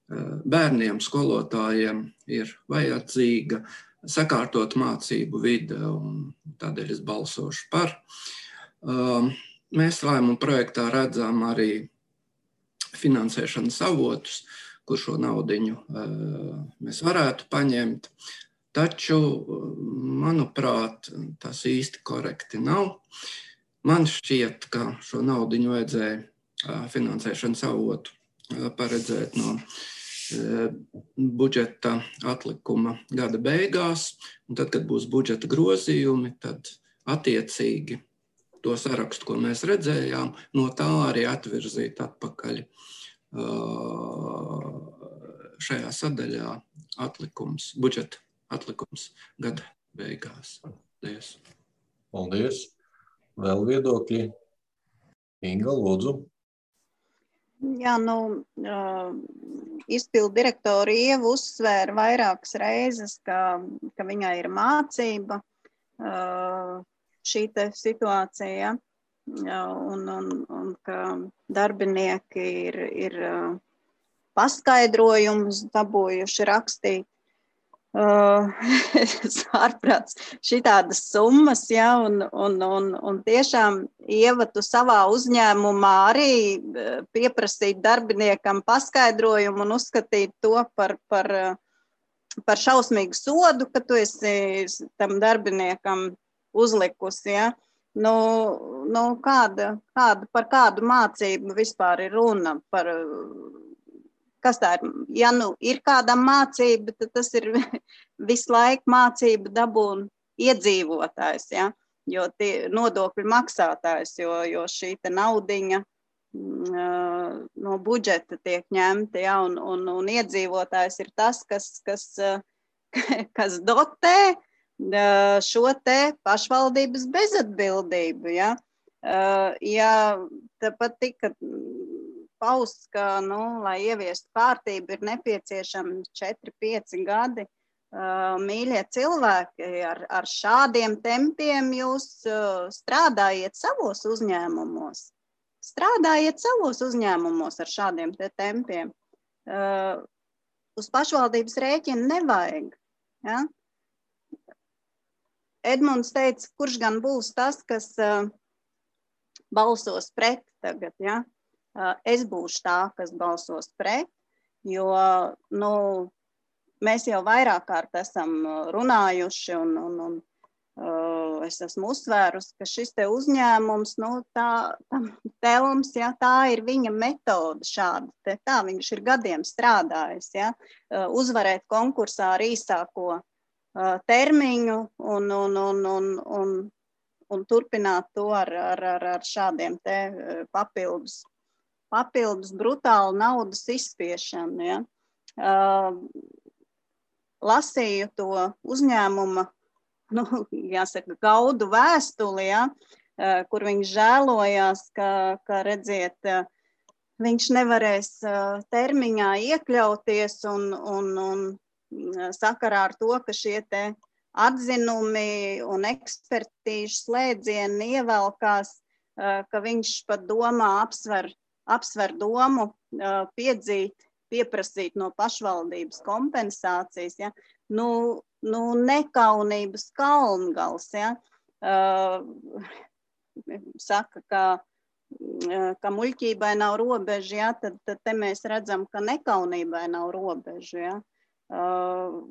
H: Bērniem, skolotājiem ir vajadzīga sakārtot mācību vide, un tādēļ es balsošu par. Mēs lēmumu projektā redzam arī finansēšanas avotus, kur šo naudiņu mēs varētu paņemt, taču, manuprāt, tas īsti korekti nav. Man šķiet, ka šo naudiņu vajadzēja finansēšanas avotu paredzēt no budžeta atlikuma gada beigās, un tad, kad būs budžeta grozījumi, tad attiecīgi to sarakstu, ko mēs redzējām, no tā arī atvirzīt atpakaļ šajā sadaļā atlikums, budžeta atlikums gada beigās. Paldies.
A: Paldies. Vēl viedokļi? Inga, lūdzu.
G: Jā, nu, izpildu direktora Ieva uzsvēra vairākas reizes, ka, ka viņai ir mācība šī te situācija, un, un, un ka darbinieki ir, ir paskaidrojumus dabūjuši rakstīt. Uh, ārprāts šitādas summas, ja, un, un, un, un tiešām Ieva, tu savā uzņēmumā arī pieprasīt darbiniekam paskaidrojumu un uzskatīt to par, par, par šausmīgu sodu, ka tu esi tam darbiniekam uzlikusi, ja. Nu, nu kāda, kāda, par kādu mācību vispār ir runa, par kas tā ir? Ja nu ir kādam mācība, tad tas ir visu laiku mācība dabūn iedzīvotājs, ja? Jo tie nodokļu maksātājs, jo, jo šī te naudiņa uh, no budžeta tiek ņemta, ja? un, un, un iedzīvotājs ir tas, kas, kas, uh, kas dotē uh, šo te pašvaldības bezatbildību. Ja, uh, ja tāpat tika pausts, ka, nu, lai ieviestu kārtību, ir nepieciešami četri pieci gadi. Uh, mīļie cilvēki, ar, ar šādiem tempiem jūs uh, strādājiet savos uzņēmumos. Strādājiet savos uzņēmumos ar šādiem te tempiem. Uh, uz pašvaldības rēķina nevajag. Ja? Edmunds teica, kurš gan būs tas, kas uh, balsos pret tagad, ja? Es būšu tā, kas balsos pret, jo, nu, mēs jau vairāk kārt esam runājuši un, un, un uh, es esmu uzsvērusi, ka šis te uzņēmums, nu, tā, tam telms, ja, tā ir viņa metode šāda, te, tā viņš ir gadiem strādājis, ja, uh, uzvarēt konkursā ar īsāko uh, termiņu un, un, un, un, un, un turpināt to ar, ar, ar, ar šādiem te uh, papildus. papildus brutālu naudas izspiešanu. Ja. Uh, lasīju to uzņēmuma, nu, jāsaka, gaudu vēstuli, ja, uh, kur viņš žēlojās, ka, ka redziet, uh, viņš nevarēs uh, termiņā iekļauties un, un, un sakarā ar to, ka šie te atzinumi un ekspertīžu slēdzieni ievelkās, uh, ka viņš pat domā apsver apsver domu uh, piedzīt, pieprasīt no pašvaldības kompensācijas, ja? nu, nu nekaunības kalngals, ja? uh, saka, ka, uh, ka muļķībai nav robeža, ja? tad, tad te mēs redzam, ka nekaunībai nav robeža. Ja? Uh,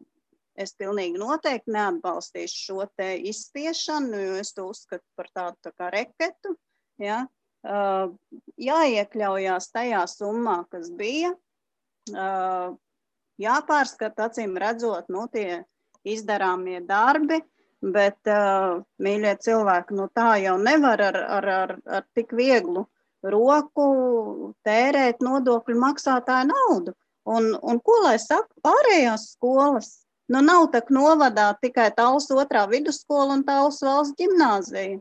G: es pilnīgi noteikti neatbalstīšu šo te izspiešanu, jo es to uzskatu par tādu tā kā reketu, ja? Uh, jāiekļaujās tajā summā, kas bija, uh, jāpārskata, acīm redzot, nu, tie izdarāmie darbi, bet, uh, mīļie cilvēki, nu, tā jau nevar ar, ar, ar, ar tik vieglu roku tērēt nodokļu maksātāju naudu. Un, un ko lai saka pārējās skolas? Nu, nav tak novadā tikai Tallas otrā vidusskola un Tallas valsts ģimnāzija.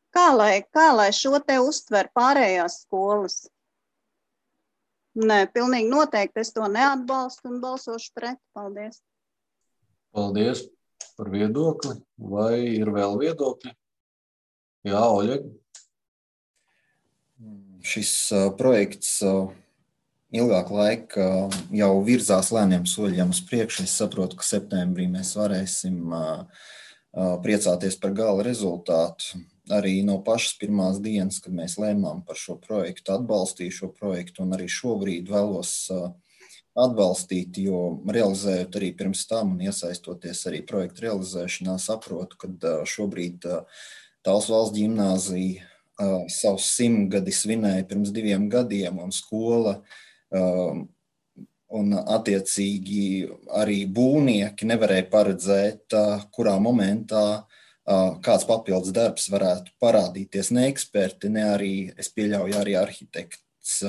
G: Kā lai, kā lai šo te uztver pārējās skolas? Nē, pilnīgi noteikti es to neatbalstu un balsošu pret. Paldies.
A: Paldies par viedokli. Vai ir vēl viedokļi? Jā, Oļeg.
M: Šis uh, projekts uh, ilgāk laika uh, jau virzās lēniem soļiem uz priekšu. Es saprotu, ka septembrī mēs varēsim uh, uh, priecāties par gala rezultātu. Arī no pašas pirmās dienas, kad mēs lēmām par šo projektu, atbalstīju šo projektu un arī šobrīd vēlos atbalstīt, jo realizējot arī pirms tam un iesaistoties arī projektu realizēšanā, saprotu, ka šobrīd Tallas valsts ģimnāzija savus simtgadi svinēja pirms diviem gadiem un skola un attiecīgi arī būvnieki nevarēja paredzēt, kurā momentā kāds papildus darbs varētu parādīties, ne eksperti, ne arī, es pieļauju, arī arhitekts projekts,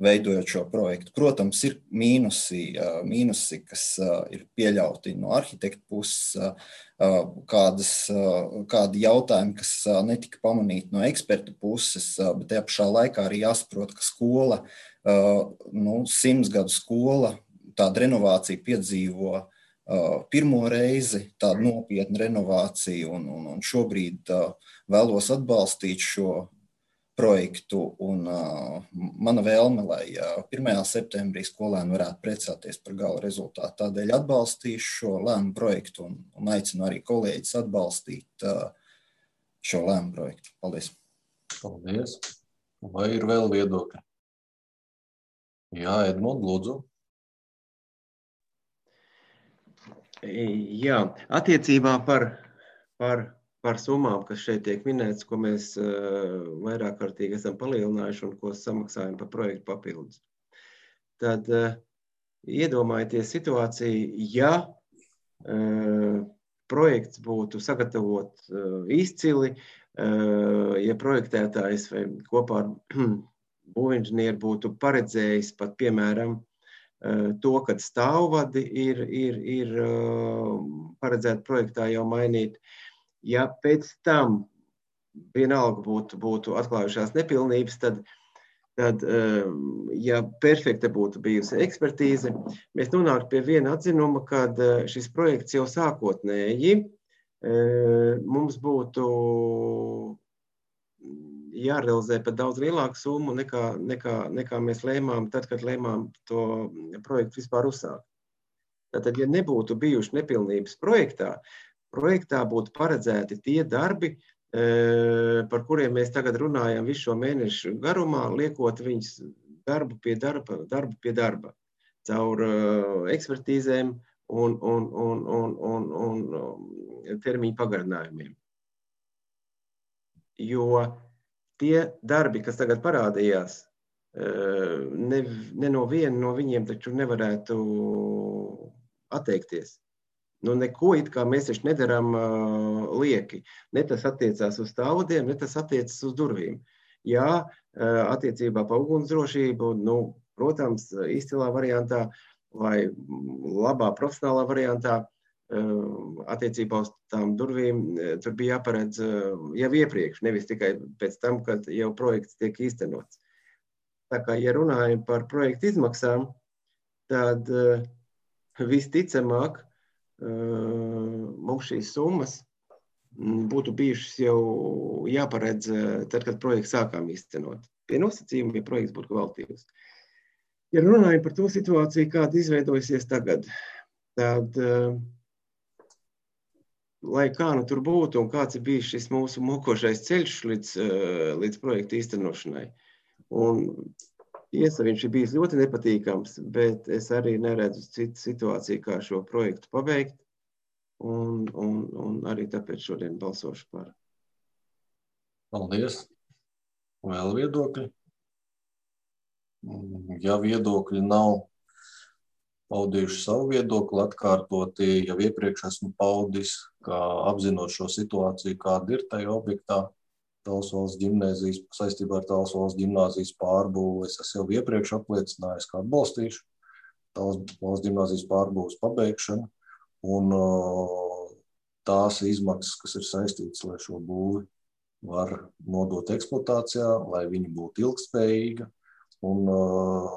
M: veidojot šo projektu. Protams, ir mīnusi, mīnusi kas ir pieļauti no arhitekta puses, kādas, kādi jautājumi, kas netika pamanīti no ekspertu puses, bet tajā pašā laikā arī jāsaprot, ka skola, nu, simts gadu skola, tāda renovācija piedzīvo pirmo reizi, tādu nopietnu renovāciju, un, un, un šobrīd uh, vēlos atbalstīt šo projektu, un uh, mana vēlme, lai uh, pirmajā septembrī skolēni varētu priecāties par gala rezultātu. Tādēļ atbalstīšu šo lēmumu projektu un, un aicinu arī kolēģis atbalstīt uh, šo lēmumu projektu. Paldies!
A: Paldies! Vai ir vēl viedokļi? Jā, Edmund, lūdzu.
D: Jā, attiecībā par, par, par summām, kas šeit tiek minēts, ko mēs uh, vairāk kārtīgi esam palielinājuši un ko samaksājam par projektu papildus. Tad uh, iedomājieties situāciju, ja uh, projekts būtu sagatavot uh, izcili, uh, ja projektētājs vai kopā ar būvinženieru būtu paredzējis pat, piemēram, to, kad stāvvadi ir, ir, ir paredzēti projektā jau mainīt. Ja pēc tam vienalga būtu, būtu atklājušās nepilnības, tad, tad, ja perfekta būtu bijusi ekspertīze, mēs nonāktu pie viena atzinuma, kad šis projekts jau sākotnēji mums būtu jārealizē pat daudz lielāku summu nekā, nekā, nekā mēs lēmām tad, kad lēmām to projektu vispār uzsākt. Tātad, ja nebūtu bijuši nepilnības projektā, projektā būtu paredzēti tie darbi, par kuriem mēs tagad runājam visu šo mēnešu garumā, liekot viņus darbu pie darba, darbu pie darba, caur ekspertīzēm un, un, un, un, un, un termiņu pagarinājumiem. Jo tie darbi, kas tagad parādījās, ne, ne no viena no viņiem taču nevarētu atteikties. Nu, neko it kā mēs taču nedaram lieki. Ne tas attiecās uz stāvvadiem, ne tas attiecas uz durvīm. Jā, attiecībā pa ugunsdrošību, nu, protams, izcilā variantā vai labā profesionālā variantā, attiecībā uz tām durvīm, tur bija jāparedz jau iepriekš, nevis tikai pēc tam, kad jau projekts tiek īstenots. Tā kā, ja runājam par projektu izmaksām, tad visticamāk mums šīs summas būtu bijušas jau jāparedz tad, kad projekts sākām īstenot. Pie nosacījuma, ja projekts būtu kvalitīvs. Ja runājam par to situāciju, kāda izveidojusies tagad, tad lai kā nu tur būtu un kāds ir bijis šis mūsu mokošais ceļš līdz, līdz projekta īstenošanai. Un tiesa, viņš ir bijis ļoti nepatīkams, bet es arī neredzu citu situāciju, kā šo projektu pabeigt. Un, un, un arī tāpēc šodien balsošu par.
A: Paldies. Vēl viedokļi? Ja viedokļi nav paudījuši savu viedokli, atkārtoti, jau iepriekš esmu paudis, kā apzinot šo situāciju, kāda ir tajā objektā, Talsu valsts ģimnāzijas, saistībā ar Talsu valsts ģimnāzijas pārbūvi. Es esmu jau iepriekš apliecinājis, kā atbalstīšu Talsu valsts ģimnāzijas pārbūves pabeigšanu, un tās izmaksas, kas ir saistītas, lai šo būvi var nodot eksploatācijā, lai viņi būtu ilgspējīga un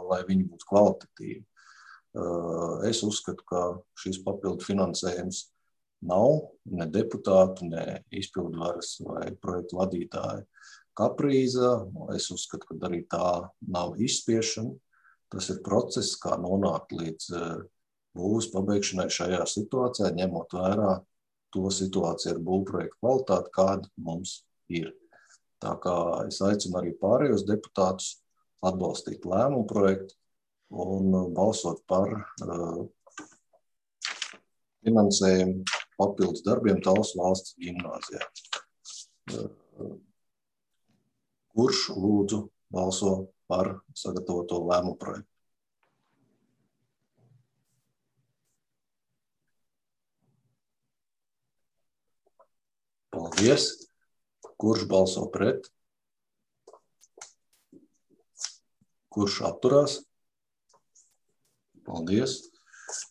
A: lai viņi būtu kvalitatīvi. Es uzskatu, ka šis papildu finansējums nav ne deputātu, ne izpildvaras vai projektu vadītāju kaprīza. Es uzskatu, ka arī tā nav izspiešana. Tas ir process, kā nonākt līdz būvs pabeigšanai šajā situācijā, ņemot vērā to situāciju ar būvprojektu kvalitāti, kāda mums ir. Tā kā es aicinu arī pārējos deputātus atbalstīt lēmumu projektu un balsot par uh, finansējumu papildus darbiem Talsu valsts ģimnāzijā. Uh, kurš lūdzu balso par sagatavoto lēmumu projektu? Paldies. Kurš balso pret? Kurš atturās? Paldies.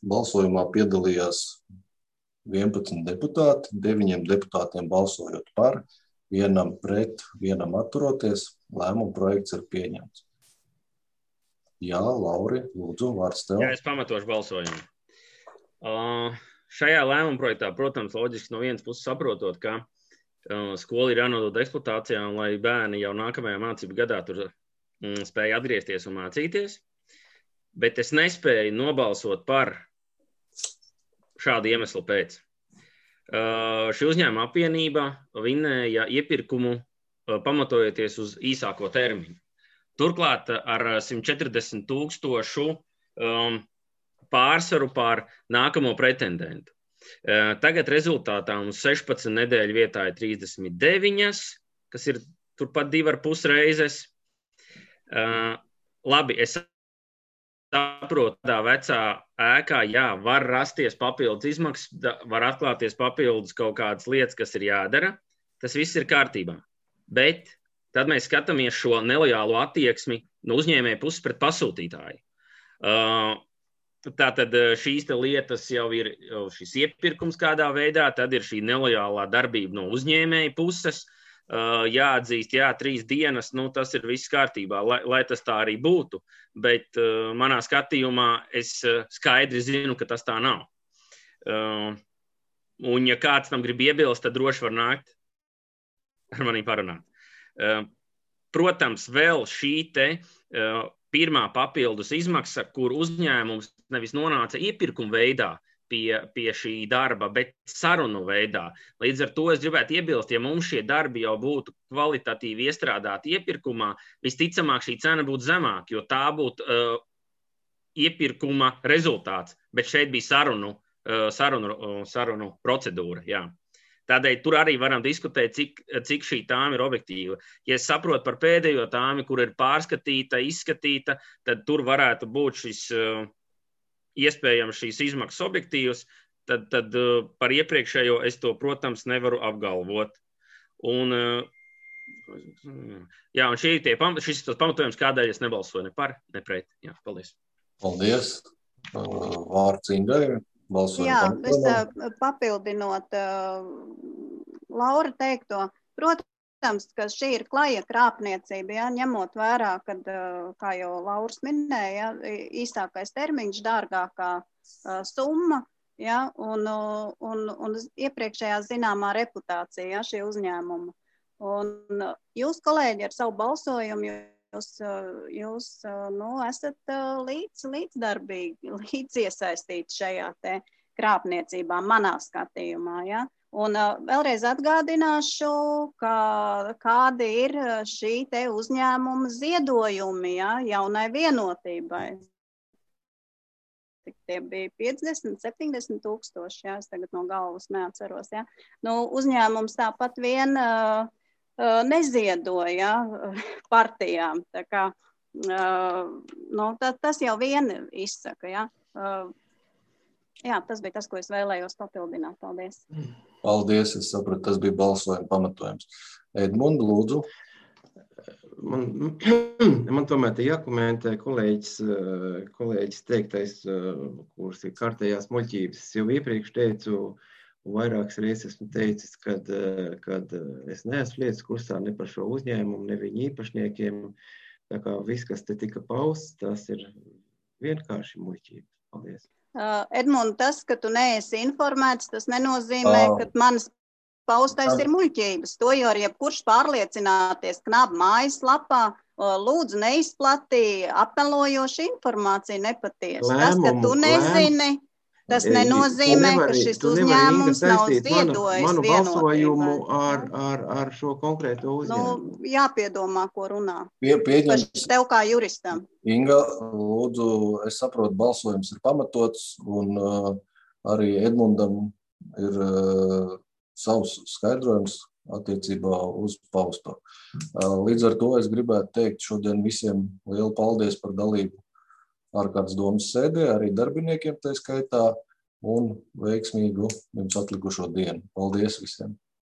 A: Balsojumā piedalījās vienpadsmit deputāti, deviņiem deputātiem balsojot par, vienam pret, vienam atturoties. Lēmuma projekts ir pieņemts. Jā, Lauri, lūdzu, vārds tev.
I: Jā, es pamatošu balsojumu. Uh, šajā lēmuma projektā, protams, loģiski no vienas puses saprotot, ka uh, skola ir jānodod eksploatācijā, un lai bērni jau nākamajā mācību gadā tur um, spēja atgriezties un mācīties, bet es nespēju nobalsot par šādu iemeslu pēc. Uh, šī uzņēmuma apvienība vinēja iepirkumu uh, pamatojoties uz īsāko termiņu. Turklāt ar simt četrdesmit tūkstošu um, pārsvaru pār nākamo pretendentu. Uh, tagad rezultātā mums sešpadsmit nedēļu vietā ir trīsdesmit deviņas, kas ir turpat divi ar pus reizes. Uh, labi, es saprotu, tādā vecā ēkā, jā, var rasties papildus izmaksas, var atklāties papildus kaut kādas lietas, kas ir jādara. Tas viss ir kārtībā. Bet tad mēs skatāmies šo nelojālo attieksmi no uzņēmēja puses pret pasūtītāju. Uh, tātad šīs te lietas jau ir šis iepirkums kādā veidā, tad ir šī nelojālā darbība no uzņēmēja puses. Uh, jāatzīst, jā, trīs dienas, nu tas ir viss kārtībā, lai, lai tas tā arī būtu. Bet uh, manā skatījumā es uh, skaidri zinu, ka tas tā nav. Uh, un ja kāds tam grib iebilst, tad droši var nākt ar manī parunāt. Protams, vēl šī te pirmā papildus izmaksa, kur uzņēmums nevis nonāca iepirkuma veidā pie, pie šī darba, bet sarunu veidā. Līdz ar to es gribētu iebilst, ja mums šie darbi jau būtu kvalitatīvi iestrādāti iepirkumā, visticamāk šī cena būtu zemāka, jo tā būtu uh, iepirkuma rezultāts, bet šeit bija sarunu, uh, sarunu, uh, sarunu procedūra, jā. Tādēļ tur arī varam diskutēt, cik, cik šī tāma ir objektīva. Ja es saprotu par pēdējo tāmi, kur ir pārskatīta, izskatīta, tad tur varētu būt šis, uh, iespējams šīs izmaksas objektīvas, tad, tad uh, par iepriekšējo es to, protams, nevaru apgalvot. Un, uh, jā, un šī tie, šis tas pamatojums, kādēļ es nebalsoju ne par, ne pret. Jā, paldies.
A: Paldies. Uh, vārds Ingai. Balsojam
G: Jā,
A: pamatojumam.
G: es papildinot uh, Laura teikto, protams, ka šī ir klaja krāpniecība, ja, ņemot vērā, kad, uh, kā jau Lauris minēja, īsākais termiņš, dārgākā uh, summa, ja, un, uh, un, un iepriekšējā zināmā reputācija, ja, šī uzņēmuma. Un uh, jūs, kolēģi, ar savu balsojumu, jūs, uh, jūs uh, nu, esat uh, līdz, līdzdarbīgi, līdz iesaistīti šajā te krāpniecībā, manā skatījumā, ja. Un uh, vēlreiz atgādināšu, ka, kādi ir šī te uzņēmuma ziedojumi, ja, jaunai vienotībai. Tie bija piecdesmit, septiņdesmit tūkstoši, ja, es tagad no galvas neatceros, ja. Nu, uzņēmums tāpat vien uh, uh, neziedoja partijām, tā kā, uh, nu, tā, tas jau vien izsaka, ja. Uh, jā, tas bija tas, ko es vēlējos papildināt. Paldies.
A: Paldies, es sapratu, tas bija balsojuma pamatojums. Edmund, lūdzu.
D: Man, man tomēr te jākomentē kolēģis, kolēģis teiktais, kuras ir kārtējās muļķības. Es jau iepriekš teicu, vairākas reizes esmu teicis, kad, kad es neesmu lietas kursā ne par šo uzņēmumu, ne viņu īpašniekiem. Tā kā viss, kas te tika pausts, tas ir vienkārši muļķības. Paldies.
G: Uh, Edmund, tas, ka tu neesi informēts, tas nenozīmē, oh. ka manas paustais ir muļķības. To jau ar jebkurš pārliecināties knaba mājaslapā, lūdzu neizplatīja apmelojošu informāciju nepatiesu. Tas, ka tu nezini, tas nenozīmē, nevari, ka šis uzņēmums nav ziedojis
D: manu, manu balsojumu ar, ar, ar šo konkrēto uzņēmumu.
G: Nu, jāpiedomā, ko runā.
A: Pie, pieņems.
G: Tev kā juristam.
A: Inga, lūdzu, es saprotu, balsojums ir pamatots, un uh, arī Edmundam ir uh, savs skaidrojums attiecībā uz pausto. Uh, līdz ar to es gribētu teikt šodien visiem lielu paldies par dalību ārkārtas domas sēdē, arī darbiniekiem tā skaitā, un veiksmīgu jums atlikušo dienu. Paldies visiem!